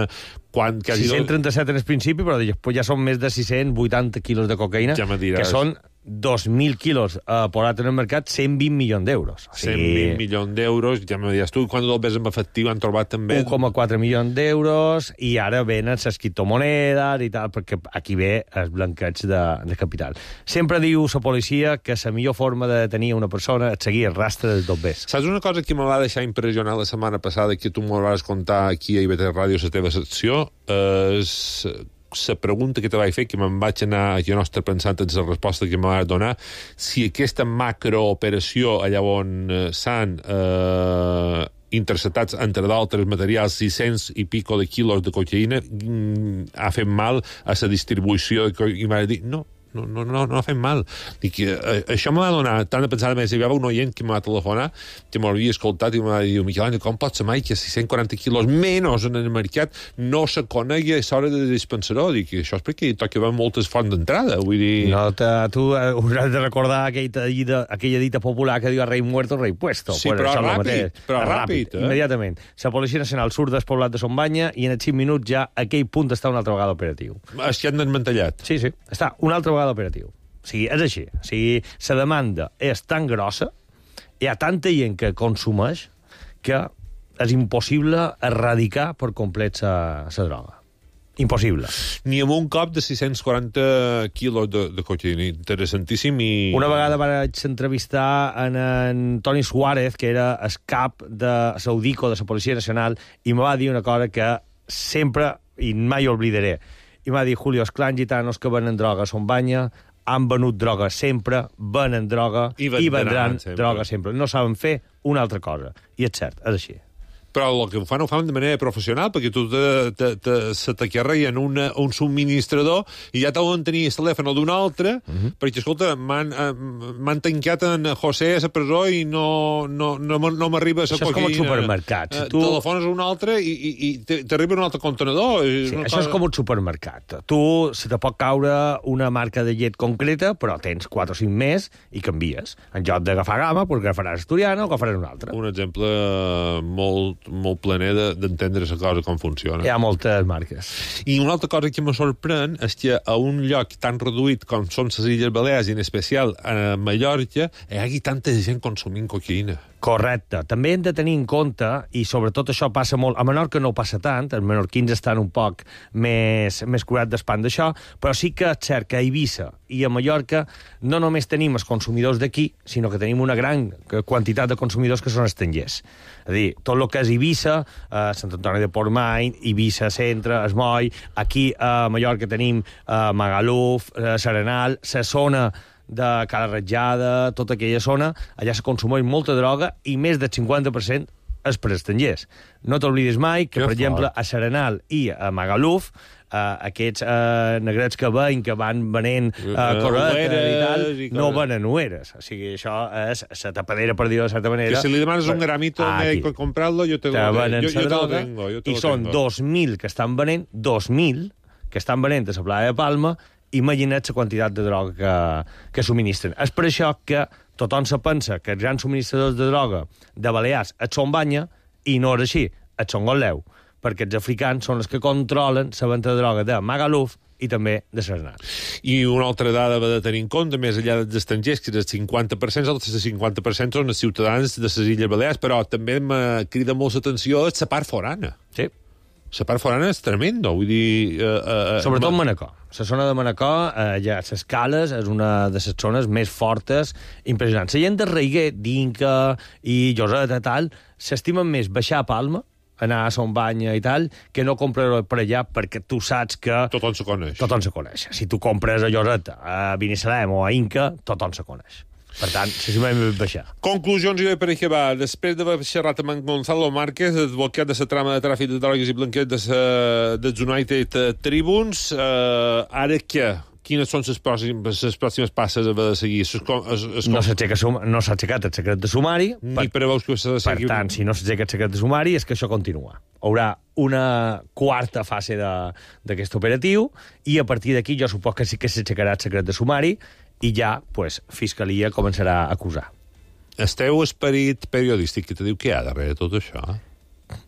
S15: 637 en el principi, però després ja són més de 680 quilos de cocaïna, que són 2.000 quilos posat en el mercat, 120 milions d'euros.
S5: O sigui, 120 milions d'euros, ja m'ho dius tu, quan el ves en efectiu han trobat també...
S15: 1,4 milions d'euros, i ara venen les criptomonedes i tal, perquè aquí ve el blanqueig de capital. Sempre diu la policia que la millor forma de detenir una persona és seguir el rastre dels dobbers.
S5: Saps una cosa que me va deixar impressionat la setmana passada, que tu m'ho vas contar aquí a IB3 Ràdio, la teva secció, és... la pregunta que te vaig fer, que me'n vaig anar jo nostre pensant en la resposta que me vas donar, si aquesta macrooperació allà on s'han interceptats, entre d'altres materials, 600 i pico de quilos de cocaïna, ha fet mal a la distribució de cocaïna. I m'ha dit, no ha fet mal. Dic, això m'ha donat tant de pensar, a més, hi havia un oient que m'ha telefonat, que m'havia escoltat i m'ha dit, Miquel Àngel, com pot ser mai que 640 quilos menys en el mercat no se conegui a l'hora de dispensador? Dic, això és perquè hi toca moltes fonts d'entrada, vull dir...
S15: No, tu hauràs de recordar aquella dita popular que diu rei muerto, rei puesto.
S5: Sí, però ràpid.
S15: Immediatament. La Policia Nacional surt del poblat de Son Banya i en 5 minuts ja aquell punt està una altra vegada operatiu.
S5: És que han desmantellat.
S15: Sí, està una altra vegada operatiu. O sigui, és així. O sigui, la demanda és tan grossa, hi ha tanta gent que consumeix, que és impossible erradicar per complet la droga. Impossible.
S5: Ni amb un cop de 640 quilos de cocaïna. Interessantíssim.
S15: Una vegada vaig entrevistar en Toni Suárez, que era el cap de Saudico de la Policia Nacional, i me va dir una cosa que sempre, i mai oblidaré, i m'ha dit, Julio, esclar, gitanos que venen droga a Son Banya, han venut droga sempre, venen droga i vendran droga sempre. No saben fer una altra cosa. I és cert, és així.
S5: Però el que ho fan de manera professional, perquè tu se t'acarreguen un subministrador i ja t'hauen tenir el telèfon d'un altre, perquè, escolta, m'han tancat en José a la presó i no m'arriba a la cocaïna.
S15: Això és com els supermercats.
S5: Telefones un altre i t'arriba un altre contenedor.
S15: Sí, això és com un supermercat. Tu se te pot caure una marca de llet concreta, però tens 4 o 5 més i canvies. En lloc d'agafar Gama, doncs agafaràs Asturiana o agafaràs un altre.
S5: Un exemple molt planer d'entendre la cosa com funciona.
S15: Hi ha moltes marques.
S5: I una altra cosa que me sorprèn és que a un lloc tan reduït com són les Illes Balears, i en especial a Mallorca, hi hagi tanta gent consumint cocaïna.
S15: Correcte. També hem de tenir en compte, i sobretot això passa molt, a Menorca no passa tant, els menorquins estan un poc més curats d'espant d'això, però sí que és cert que a Eivissa i a Mallorca no només tenim els consumidors d'aquí, sinó que tenim una gran quantitat de consumidors que són estrangers. És a dir, tot el que és Eivissa, Sant Antoni de Portmany, Eivissa Centre, Es Moll, aquí a Mallorca tenim Magaluf, Serenal, la zona de Cala Ratjada, tota aquella zona, allà se consumeix molta droga i més del 50% és per estrangers. No t'oblidis mai que, per exemple, a Serenal i a Magaluf, aquests negrets que veien que van venent corretes i tal, no venen ueres. O sigui, això és la tapadera, per dir-ho de certa manera.
S5: Que si li demanes un gramito al médico a comprarlo, yo te lo tengo.
S15: I són 2.000 que estan venent, 2.000 que estan venent a la playa de Palma. Imagina't la quantitat de droga que subministren. És per això que tothom se pensa que els grans subministradors de droga de Balears són Banya, i no és així, són Golleu, perquè els africans són els que controlen la venda de droga de Magaluf i també de Serenal.
S5: I una altra dada de tenir en compte, més enllà dels estrangers, que és el 50%, els 50% són els ciutadans de les Illes Balears, però també me crida molt l'atenció la part forana.
S15: Sí.
S5: La part forana és tremenda, vull dir...
S15: Sobretot Manacor. La zona de Manacor, ja les Cales, és una de les zones més fortes, impressionants. La gent de Reiguer, d'Inca i Lloseta i tal, s'estimen més baixar a Palma, anar a Son Banya i tal, que no comprar per allà perquè tu saps que...
S5: Tothom se coneix.
S15: Tothom se coneix. Si tu compres a Lloseta, a Binissalem o a Inca, tothom se coneix. Per tant, s'estimen més baixar.
S5: Conclusions i per aquí va. Després d'haver xerrat amb Gonzalo Márquez, advocat de la trama de tràfic de drogues i blanqueig dels United Tribunes, ara què? Quines són les pròximes passes a haver de seguir?
S15: No s'ha aixecat el secret de sumari.
S5: Ni preveus que s'ha de seguir?
S15: Per tant, si no s'aixeca el secret de sumari, és que això continua. Hi haurà una quarta fase d'aquest operatiu i a partir d'aquí jo supos que sí que s'aixecarà el secret de sumari i ja, pues, Fiscalia començarà a acusar.
S5: El teu esperit periodístic que te diu què hi ha darrere tot això?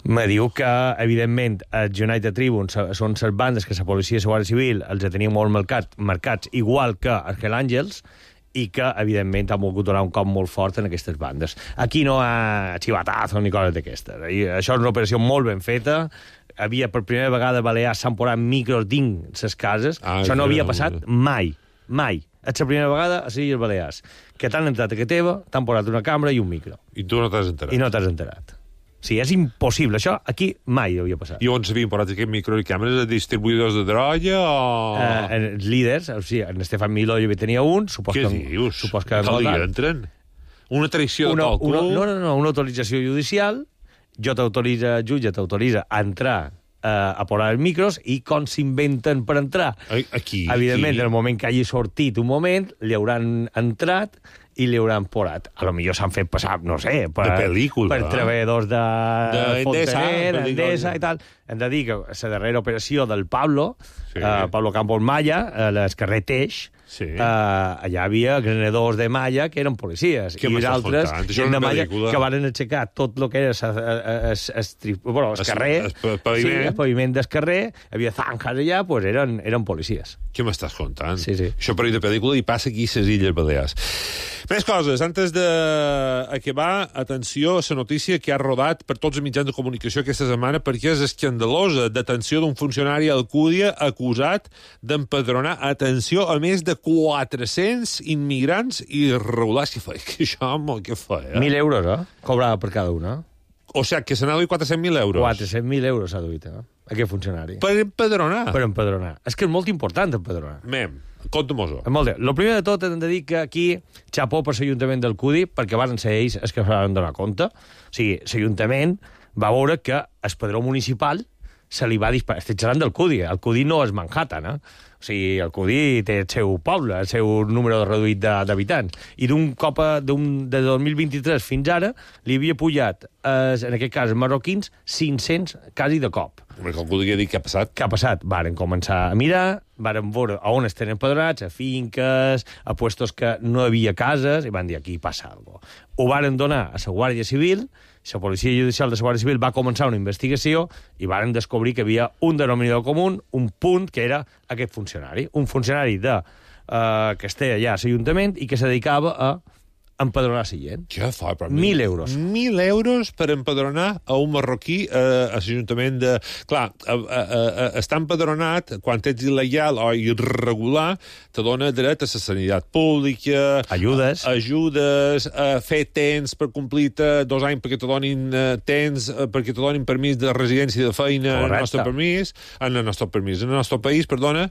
S15: Me diu que, evidentment, els United Tribunes són les bandes que la policia i la Guàrdia Civil els tenia molt marcats, igual que els Hell Angels, i que, evidentment, han volgut donar un cop molt fort en aquestes bandes. Aquí no hi ha xivatazo ni coses d'aquestes. Això és una operació molt ben feta. Per primera vegada a Balears s'han posat micros dins les cases. Això no havia passat mai. És la primera vegada a les Illes Balears que t'han entrat a casa teva, t'han posat una cambra i un micro.
S5: I tu no t'has enterat.
S15: I no t'has enterat. Sí, és impossible. Això aquí mai havia passat.
S5: I on s'havien posat aquest micro i càmeres? Distribuïdors de droga o...?
S15: Els líders, o sigui, en Estefan Milojevic tenia un.
S5: Què dius? Que li entren? Una traïció de càlcul?
S15: No, una autorització judicial. Jutge t'autoritza a entrar a posar els micros i com s'inventen per entrar.
S5: Aquí.
S15: Evidentment, en el moment que hagi sortit un moment, li hauran entrat i li hauran posat. A lo millor s'han fet passar, no sé, per treballadors de Fontaner, Endesa i tal. Hem de dir que la darrera operació del Pablo Campos Malla, a l'Escarrer Teix, allà hi havia granadors de malla que eren policies i altres de malla que van aixecar tot el que era el carrer, el paviment del carrer, hi havia zanjas allà, doncs eren policies.
S5: Què m'estàs contant?
S15: Sí.
S5: Això per de pel·lícula i passa aquí a les Illes Balears. Més coses. Antes d'acabar, atenció a la notícia que ha rodat per tots els mitjans de comunicació aquesta setmana perquè és escandalosa. Detenció d'un funcionari a Alcúdia acusat d'empadronar, atenció, a més de 400 immigrants irregulars. Què fa?
S15: 1.000 euros, cobrava per cada una.
S5: O sigui, que se n'ha duit 400.000 euros.
S15: 400.000 euros s'ha duit, aquest funcionari.
S5: Per empadronar?
S15: Per empadronar. És que és molt important empadronar.
S5: Compte-mos-ho.
S15: Molt bé. El primer de tot hem de dir que aquí xapó per l'Ajuntament del Cudi, perquè van ser ells els que van donar compte. O sigui, l'Ajuntament va veure que el padró municipal se li va disparar. Estic xerrant del Cudi. El Cudi no és Manhattan, O sigui, el Cudi té el seu poble, el seu número reduït d'habitants. I d'un cop, de 2023 fins ara, li havia pujat, en aquest cas, marroquins, 500 quasi de cop.
S5: Perquè algú li ha dit què ha passat.
S15: Què ha passat? Varen començar a mirar, varen veure on estan empadronats, a finques, a puestos que no hi havia cases, i van dir, aquí passa alguna cosa. Ho varen donar a la Guàrdia Civil, la Policia Judicial de la Guàrdia Civil va començar una investigació i varen descobrir que hi havia un denominador comú, un punt, que era aquest funcionari. Un funcionari que estava allà a l'Ajuntament i que se dedicava a empadronar la gent.
S5: Què fa?
S15: 1.000 euros.
S5: 1.000 euros per empadronar a un marroquí a l'Ajuntament de... Clar, està empadronat, quan ets il·legal o irregular, te dona dret a la sanitat pública...
S15: Ajudes,
S5: a fer temps per complir-te 2 anys perquè te donin temps, perquè te donin permís de residència i de feina en el nostre país, perdona.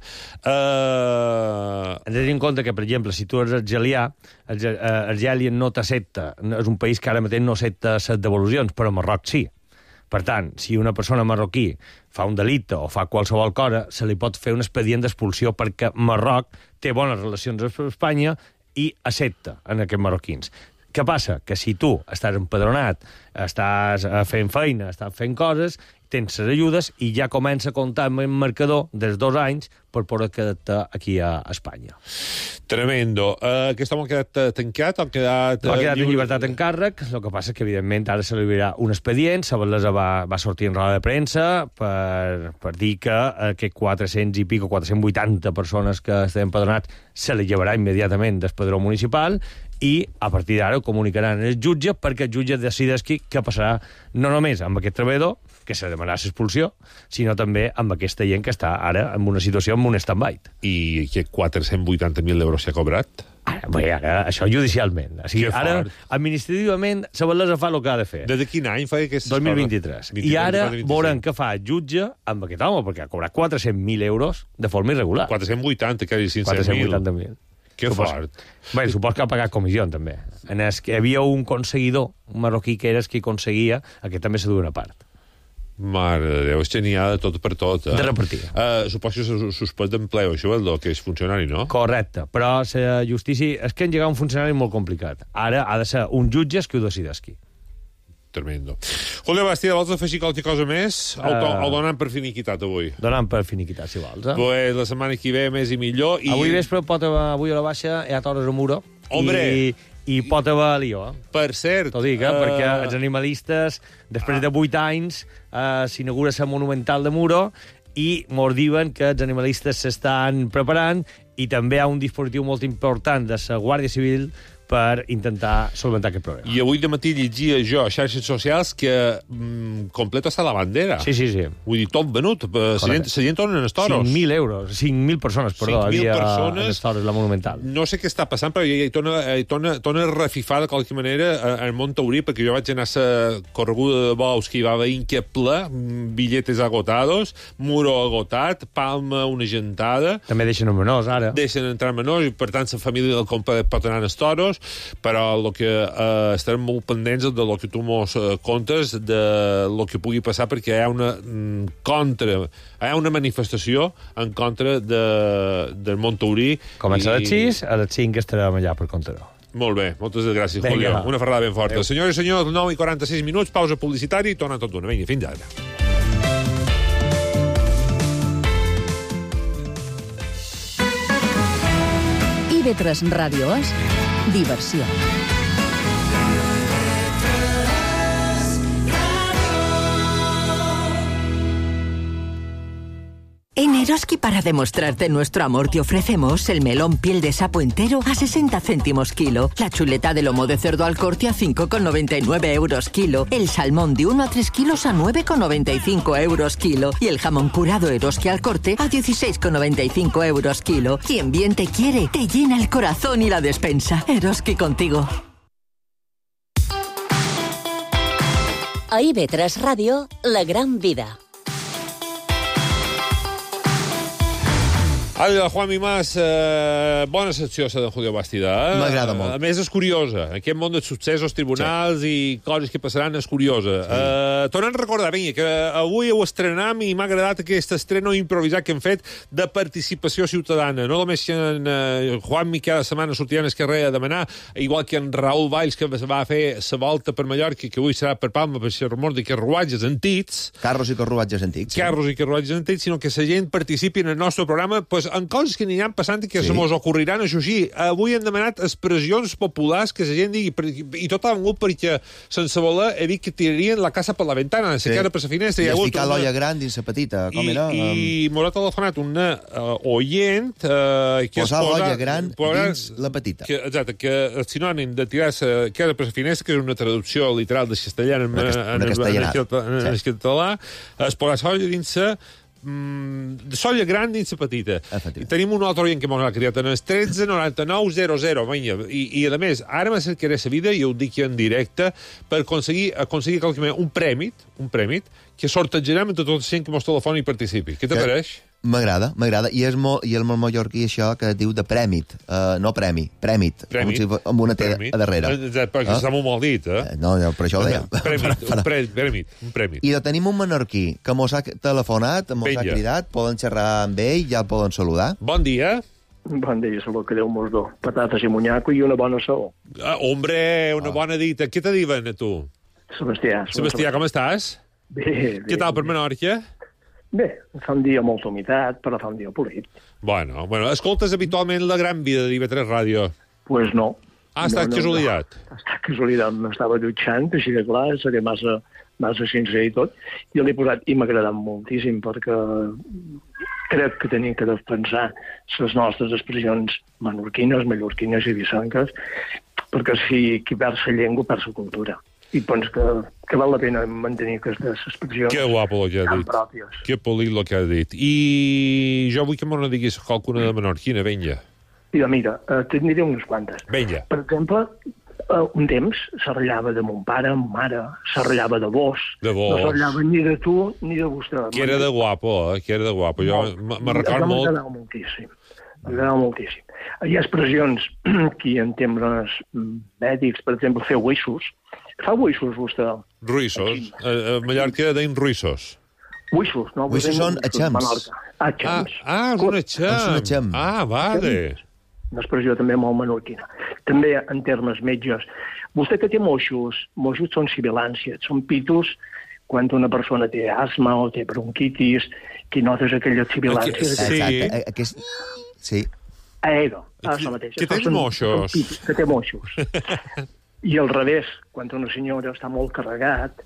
S15: Hem de tenir en compte que, per exemple, si tu ets argelià, Argèlia no t'accepta, és un país que ara mateix no accepta les devolucions, però Marroc sí. Per tant, si una persona marroquí fa un delicte o fa qualsevol cosa, se li pot fer un expedient d'expulsió perquè Marroc té bones relacions amb Espanya i accepta en aquests marroquins. Què passa? Que si tu estàs empadronat, estàs fent feina, estàs fent coses, tens les ajudes i ja comença a comptar amb el marcador dels 2 anys per poder quedar-te aquí a Espanya.
S5: Tremendo. Aquest home ha quedat tancat? Ha quedat
S15: en llibertat en càrrec. El que passa és que, evidentment, ara se li obrirà un expedient. Sabalesa va sortir en roda de premsa per dir que aquests 400 i pico, 480 persones que estan empadronats se li llevarà immediatament del padró municipal i a partir d'ara ho comunicaran el jutge perquè el jutge decideixi què passarà no només amb aquest treballador, que se demanarà l'expulsió, sinó també amb aquesta gent que està ara en una situació amb un stand-by.
S5: I que 480.000 euros s'ha cobrat?
S15: Ara, això judicialment. O sigui, ara, administrativament, Sabalesa fa el que ha de fer.
S5: Des de quin any fa aquesta
S15: 2023. I ara veurem què fa el jutge amb aquest home, perquè ha cobrat 400.000 euros de forma irregular.
S5: 480, quasi 500.000.
S15: 480.000.
S5: Que fort.
S15: Bé, supos que ha pagat comissió, també. En el que hi havia un conseguidor, un marroquí que era el que aconseguia, aquest també se duia una part.
S5: Mare de Déu, és que n'hi ha de tot per tot.
S15: De repartir.
S5: Suposo que se suspès d'empleo, això, el que és funcionari, no?
S15: Correcte, però la justícia... És que engegar un funcionari molt complicat. Ara ha de ser un jutge que ho decideixi.
S5: Tremendo. Julio Bastida, vols afegir qualque cosa més? O donant per finiquitat avui?
S15: Donant per finiquitat, si vols.
S5: Pues la setmana que ve més i millor.
S15: Avui vespre avui a la baixa hi ha toros a Muro.
S5: Hombre!
S15: I pot haver lío.
S5: Per cert.
S15: T'ho dic, perquè els animalistes, després de 8 anys, s'inaugura la Monumental de Muro i mos diuen que els animalistes s'estan preparant i també hi ha un dispositiu molt important de la Guàrdia Civil per intentar solventar aquest problema.
S5: I avui de matí llegia jo a xarxes socials que completo està la bandera.
S15: Sí.
S5: Vull dir, tot venut. La gent torna en els toros.
S15: 5.000 euros. 5.000 persones, perdó, havia en els toros, la Monumental.
S5: No sé què està passant, però hi torna a refifar de qualque manera al món taurí, perquè jo vaig anar a la correguda de bous que hi va haver inqueble, billetes agotados, Muro agotat, Palma una gentada.
S15: També deixen menors, ara.
S5: Deixen entrar menors, i per tant la família del compa pot anar als toros, però el que estarem molt pendents de lo que tu mos contes, de lo que pugui passar, perquè hi ha una manifestació en contra del món taurí.
S15: Comença a les 6, a les 5 estarem allà per comptar-ho.
S5: Molt bé, moltes gràcies, Julio. Una ferrada ben forta. Senyores i senyors, 9:46 minuts, pausa publicitària i torna tot d'una. Vinga, fins ara.
S3: IB3 Ràdio és diversió.
S16: En Eroski, para demostrarte nuestro amor, te ofrecemos el melón piel de sapo entero a 60 céntimos kilo, la chuleta de lomo de cerdo al corte a 5,99 euros kilo, el salmón de 1 a 3 kilos a 9,95 euros kilo y el jamón curado Eroski al corte a 16,95 euros kilo. Quien bien te quiere, te llena el corazón y la despensa. Eroski contigo.
S4: A IB3 Ràdio, La Gran Vida.
S5: Hola, Juan Mimás, bona secció, la de Julio Bastida.
S6: M'agrada molt.
S5: A més, és curiosa. Aquest món dels successos, tribunals i coses que passaran és curiosa. Tornem a recordar, vinga, que avui ho estrenam i m'ha agradat aquest estreno improvisat que hem fet de participació ciutadana. No només que en Juanmi cada setmana sortiran al carrer a demanar, igual que en Raül Valls, que va fer la volta per Mallorca, que avui serà per Palma, per ser rumor de carruatges antics.
S6: Carros i carruatges antics.
S5: Carros i carruatges antics, sinó que la gent participi en el nostre programa, pues, en coses que aniran passant i que se mos ocorriran, això sí. Avui hem demanat expressions populars que la gent digui, i tot ha vengut perquè sense voler he dit que tirarien la casa per la ventana, la cara per la finestra.
S6: I has ficat l'olla gran dins la petita, com era?
S5: I m'ho ha telefonat una oient que
S6: posar l'olla gran dins la petita.
S5: Exacte, que el sinònim de tirar la cara per la finestra, que és una traducció literal de castellà en català, es posar l'olla dins de solla gran dins la petita. I tenim un altre oient que m'ha criat en el 13 99 00. I a més, ara m'acercaré la vida, i ho dic en directe, per aconseguir un prèmit que sortejarem entre tots els gent que mos telefoni i participi. Què te pareix?
S6: M'agrada. I és molt mallorquí això que diu de prèmit, no premi, prèmit, amb una T a darrere.
S5: Perquè està molt mal dit,
S6: No, per això ho deia.
S5: Un prèmit.
S6: I tenim un menorquí que mos ha telefonat, mos ha cridat, poden xerrar amb ell, ja el poden saludar.
S5: Bon dia.
S17: Bon dia, salut, que Déu mos do. Patates i monyaco i una bona saó.
S5: Hombre, una bona dita. Què te diuen, a tu?
S17: Sebastià,
S5: com estàs?
S17: Bé.
S5: Què tal per Menorca?
S17: Bé, fa un dia molta humitat, però fa un dia polit.
S5: Bueno, escoltes habitualment la gran vida de IB3 Ràdio?
S17: Pues no.
S5: Ha estat casualitat?
S17: Ha estat casualitat, m'estava dutxant, així de clar, seré massa sincer i tot, i l'he posat, i m'ha agradat moltíssim, perquè crec que tenim que defensar les nostres expressions menorquines, mallorquines i vicenques, perquè si qui perd la llengua perd la cultura. I penso que val la pena mantenir aquestes expressions.
S5: Que guapo el que ha dit.
S17: Pròpies.
S5: Que polit el que ha dit. I jo vull que m'ho diguis qualcuna de menorquina, vinga.
S17: Mira, te'n diré unes quantes.
S5: Vinga.
S17: Per exemple, un temps s'arrellava de mon pare, mare, s'arrellava de vos.
S5: De vos.
S17: No s'arrellava ni de tu ni de vostè.
S5: Que era de guapo, que era de guapo. Jo me record molt...
S17: M'agradava moltíssim. M'agradava moltíssim. Hi ha expressions que en termes mèdics, per exemple, fer uixos. Fa uixos, vostè?
S5: Ruïssos. A Mallorca deim ruïssos.
S17: Uixos, no?
S6: Uixos són atxams.
S17: Atxams.
S5: És un atxam. Vale.
S17: Una expressió també molt menorquina. També en termes metges. Vostè que té moixos són sibilàncies, són pitos quan una persona té asma o té bronquitis, que notes aquelles sibilàncies.
S6: Exacte. Sí.
S17: Això mateix.
S5: Que tens moixos.
S17: Que té moixos. I al revés, quan una senyora està molt carregat,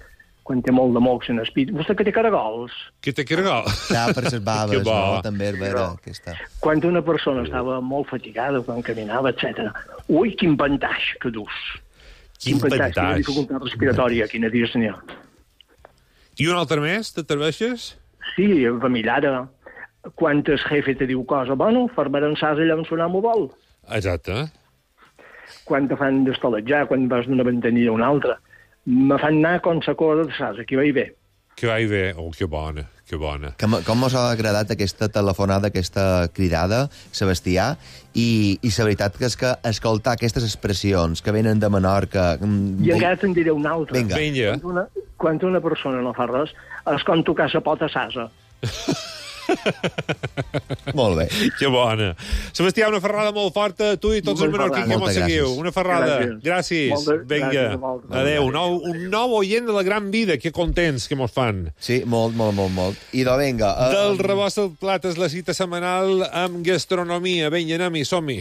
S17: quan té molt de mocs en el pit. Vostè que té caragols.
S5: Que té caragols.
S6: Ja, per les baves, no? També és vera aquesta.
S17: Quan una persona estava molt fatigada, quan caminava, etc. Ui, quin pantaix que dus.
S5: Quin pantaix.
S17: Quina dificultat respiratòria, quina dies n'hi ha.
S5: I un altre més, t'atreveixes?
S17: Sí, famillara. Quan el jefe te diu cosa, bueno, farmaran sas allà on sonam ho vol.
S5: Exacte.
S17: Quan te fan d'estoletjar, quan vas d'una ventanilla a una altra. Me fan anar com la cosa de sas, aquí va i bé.
S5: Que va i bé. Oh, que bona, que bona.
S6: Com us ha agradat aquesta telefonada, aquesta cridada, Sebastià, i la veritat que és que escoltar aquestes expressions que venen de Menorca...
S17: I encara te'n diré una altra.
S5: Vinga.
S17: Quan una persona no fa res, és com tocar la pota sasa.
S6: Molt bé.
S5: Que bona. Sebastià, una ferrada molt forta a tu i tots els menorquins que mos seguiu. Una ferrada. Gràcies. Vinga. Adéu. Un nou oient de la gran vida. Que contents que mos fan.
S6: Sí, molt. I vinga.
S5: Del rebost al plat és la cita setmanal amb gastronomia. Vinga, anem-hi, som-hi.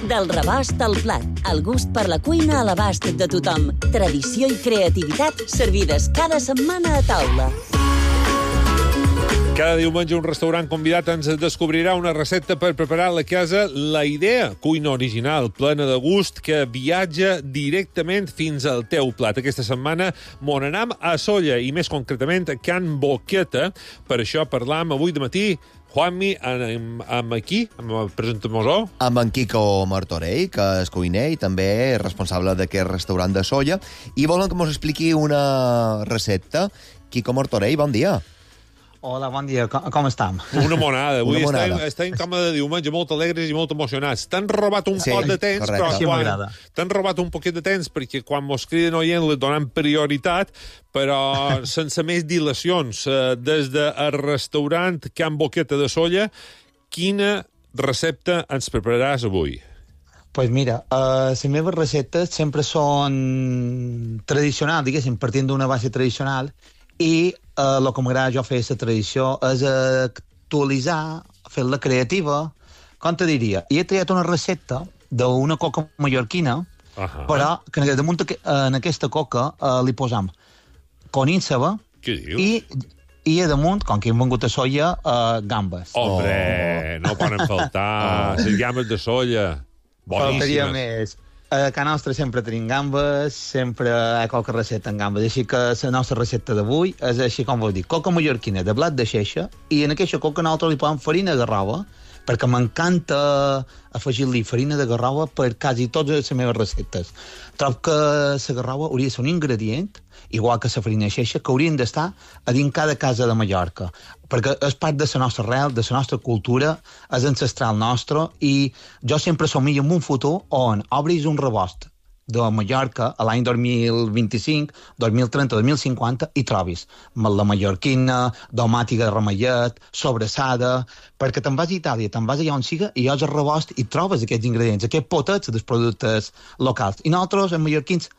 S4: Del rebost al plat, el gust per la cuina a l'abast de tothom. Tradició i creativitat servides cada setmana a taula.
S5: Cada diumenge un restaurant convidat ens descobrirà una recepta per preparar a la casa. La idea, cuina original, plena de gust, que viatja directament fins al teu plat. Aquesta setmana m'on anam a Sóller, i més concretament a Can Boqueta. Per això parlam avui de matí, Juanmi, amb aquí, amb el presentador.
S6: Amb en Quico Martorell, que és cuiner i també responsable d'aquest restaurant de Sóller. I volen que mos expliqui una recepta. Quico Martorell, bon dia.
S18: Hola, bon dia, com estem?
S5: Una monada. Avui estem com de diumenge, molt alegres i molt emocionats. T'han robat un poc de temps, però t'han robat un poquet de temps, perquè quan mos criden oient li donem prioritat, però sense més dilacions. Des del restaurant Can Boqueta de Sóller, quina recepta ens prepararàs avui?
S18: Pues mira, les meves receptes sempre són tradicionals, diguéssim, partint d'una base tradicional, i el que m'agrada jo fer la tradició és actualitzar fer-la creativa, com te diria? I he triat una recepta d'una coca mallorquina, però que damunt en aquesta coca li posam conínsaba i a damunt, com que hem vengut a soia, gambes.
S5: Hombre, no poden faltar les gambes de soia.
S18: Faltaria
S5: Boníssimes.
S18: més. A casa nostra sempre tenim gambes, sempre hi ha qualque recepta amb gambes, així que la nostra recepta d'avui és així com vos dic, coca mallorquina de blat de xeixa, i en aquesta coca nosaltres li posem farina de garrova, perquè m'encanta afegir-li farina de garrova per quasi totes les meves receptes. Trobo que la garrova hauria de ser un ingredient, igual que la farina de xeixa, que haurien d'estar a dins cada casa de Mallorca, perquè és part de la nostra arrel, de la nostra cultura, és ancestral nostre, i jo sempre somio en un futur on obris un rebost de Mallorca a l'any 2025, 2030, 2050 i trobis la mallorquina, domàtica de ramellet, sobrassada, perquè te'n vas a Itàlia, te'n vas allà on siga i llos el rebost i trobes aquests ingredients, aquests potets dels productes locals. I nosaltres, en mallorquins,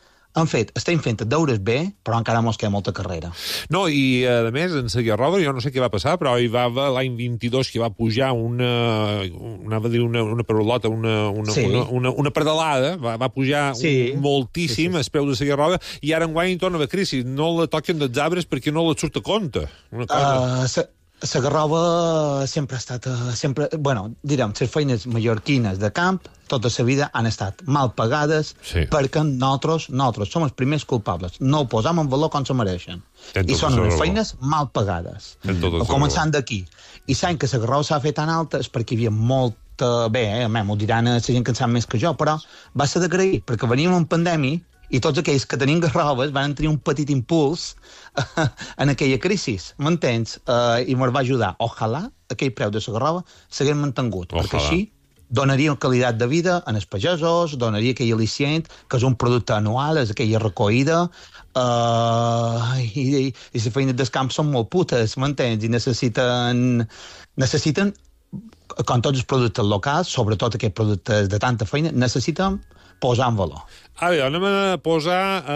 S18: estem fent deures bé, però encara mos queda molta carrera.
S5: No, i a més, en la Guerrova, jo no sé què va passar, però hi va haver l'any 22 que va pujar una parolota, una pedalada, va pujar moltíssim el preu de la Guerrova, i ara enguany torna a haver crisi. No la toquen dels arbres perquè no la surt a compte.
S18: La Garrova sempre ha estat... direm, les feines mallorquines de camp, tota la vida han estat mal pagades perquè nosaltres som els primers culpables. No ho posam en valor com se mereixen. I són unes feines mal pagades. Començant d'aquí. I sabem que la Garrova s'ha fet tan alta és perquè hi havia molta... Bé, m'ho diran la gent que en sap més que jo, però va ser d'agrair, perquè veníem en pandèmia i tots aquells que tenim garroves van tenir un petit impuls en aquella crisi, m'entens? I me'l va ajudar. Ojalà aquell preu de la garrova s'hagués mantingut, perquè així donaria qualitat de vida als pagesos, donaria aquell al·licient, que és un producte anual, és aquella recollida, i les feines del camp són molt putes, m'entens? I necessiten, com tots els productes locals, sobretot aquests productes de tanta feina, necessiten posar en valor.
S5: A veure, anem a posar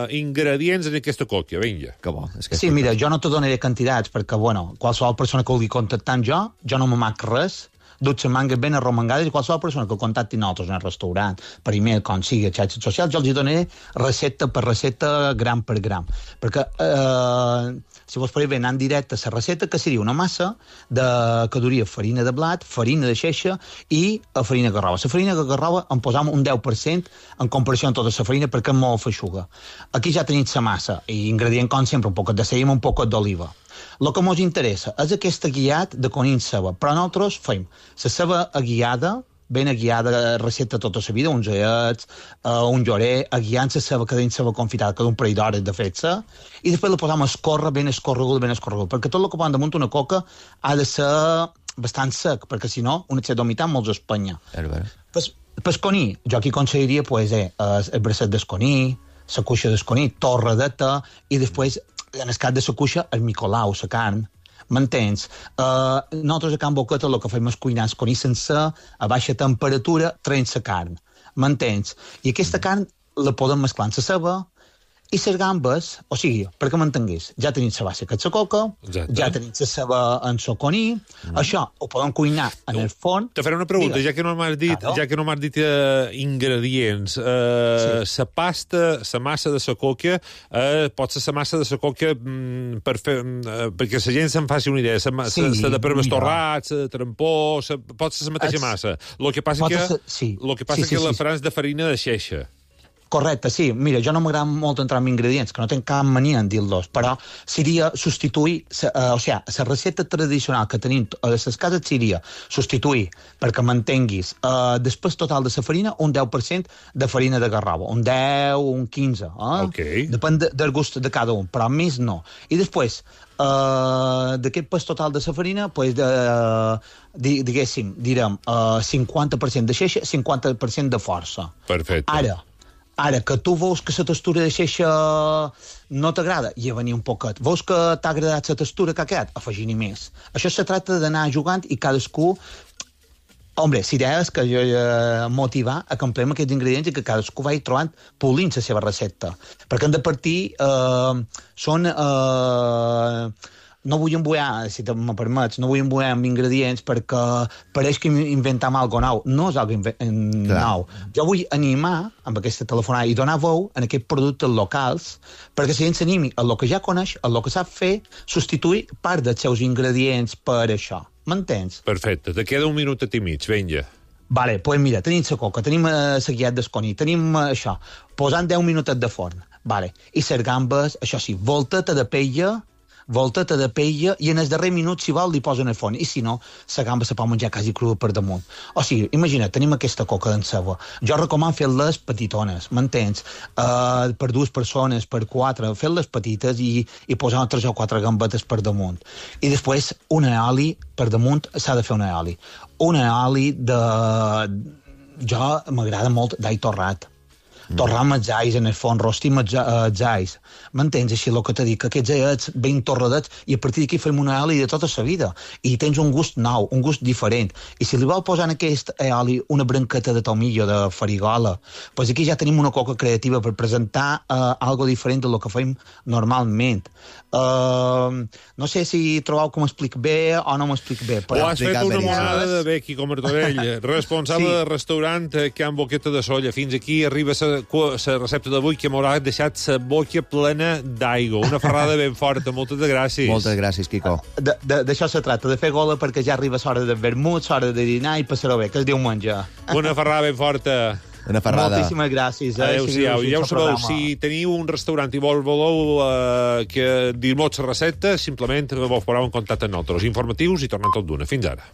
S5: ingredients en aquesta coca, vinga.
S6: Que bo.
S18: Sí, mira, jo no te donaré quantitats, perquè, qualsevol persona que vulgui contactar amb jo no m'amac res, duts mangues ben arromangades, i qualsevol persona que contacti nosaltres en el restaurant, per email, com sigui, a xarxes socials, jo els donaré recepta per recepta, gram per gram. Perquè, si vos faré bé anar en directe la recepta, que seria una massa que duria farina de blat, farina de xeixa i farina de garrova. La farina de garrova en posam un 10% en comparació amb tota la farina perquè és molt feixuga. Aquí ja tenim la massa, i ingredient com sempre, un poc de cella i un poc d'oliva. El que ens interessa és aquest aguiat de conills ceba, però nosaltres fem la ceba aguiada, ben aguiada, recepta tota la vida, uns aiets, un llorer, aguiant la ceba, que dins ceba confitada, cada un parell d'hores de fer-se, i després la posam a escórrer, ben escorregut, perquè tot el que posen damunt una coca ha de ser bastant sec, perquè si no, una set d'humitat molts espanya. Pel conill, jo aquí aconseguiria el bracet del conill, la cuixa del conill, torradeta, i després en el cas de la cuixa, el micolau, la carn, m'entens? Nosaltres a Can Boqueta el que fem és cuinar el conill sencer, a baixa temperatura, traient la carn, m'entens? I aquesta carn la podem mesclar amb la ceba i les gambes, o sigui, perquè m'entengués, ja tenim la base que és la coca, ja tenim la ceba en el conill, això ho podem cuinar en el forn.
S5: Te faré una pregunta, ja que no m'has dit ingredients. La pasta, la massa de la coca, pot ser la massa de la coca perquè la gent se'n faci una idea, la de per bestorrats, la de trampó, pot ser la mateixa massa. El que passa que la faran de farina de xeixa.
S18: Correcte, sí. Mira, jo no m'agrada molt entrar en ingredients, que no tinc cap mania en dir-los, però seria substituir, la recepta tradicional que tenim a les cases seria substituir, perquè mantenguis, després total de la farina, un 10% de farina de garrova, un 10, un 15, depèn del gust de cada un, però més no. I després, d'aquest pes total de la farina, direm 50% de xeixa, 50% de força.
S5: Perfecte.
S18: Ara, que tu veus que la textura de xeixa no t'agrada, i a venir un poquet. Veus que t'ha agradat la textura que ha quedat? Afegir-hi més. Això se tracta d'anar jugant i cadascú... Hombre, l'idea és que jo motivar a que empleem aquests ingredients i que cadascú vagi trobant polint la seva recepta. Perquè hem de partir... no vull embuar, si me permets, no vull embuar amb ingredients perquè pareix que inventem algo nou. No és algo nou. Jo vull animar amb aquesta telefonada i donar veu en aquests productes locals perquè la gent s'animi a lo que ja coneix, a lo que sap fer, substituir part dels seus ingredients per això. M'entens?
S5: Perfecte. Te queda un minutet i mig, vinga.
S18: Vale, doncs mira, tenim la coca, tenim la guiat d'esconi, tenim això, posant 10 minutets de forn, vale. I les gambes, això sí, volteta de paella i en el darrer minut, si vol, li posen el forn. I si no, la gamba se pot menjar quasi crua per damunt. O sigui, imagina't, tenim aquesta coca d'en ceba. Jo recomano fer-les petitones, m'entens? Per 2 persones, per 4, fer-les petites i posar 3 o 4 gambetes per damunt. I després, un oli per damunt, s'ha de fer un oli. Un oli de... Jo m'agrada molt d'all torrat. Torrar amb els ais en el forn, rostir amb els ais. M'entens? Així el que t'he dit, que aquests aiets ben torradets i a partir d'aquí fem una oli de tota la vida. I tens un gust nou, un gust diferent. I si li vol posar en aquest oli una branqueta de tomillo, de farigola, doncs aquí ja tenim una coca creativa per presentar algo diferent del que fem normalment. No sé si trobeu que m'explic bé o no m'explic bé.
S5: Ho has fet una monada de bé, Quico Martorell, responsable del restaurant Can Boqueta de Solla. Fins aquí arriba la recepta d'avui, que m'haurà deixat la boca plena d'aigua. Una ferrada ben forta. Moltes gràcies.
S6: Moltes gràcies, Quico.
S18: D'això se tracta, de fer gola perquè ja arriba l'hora de vermut, l'hora de dinar i passar-ho bé, que es diumenge.
S5: Una ferrada ben forta.
S6: Una ferrada.
S18: Moltíssimes gràcies.
S5: Adéu-siau. Ja ho sabeu, si teniu un restaurant i voleu que dir-nos la recepta, simplement vos poseu en contacte amb nosaltres. Informatius i tornem tot d'una. Fins ara.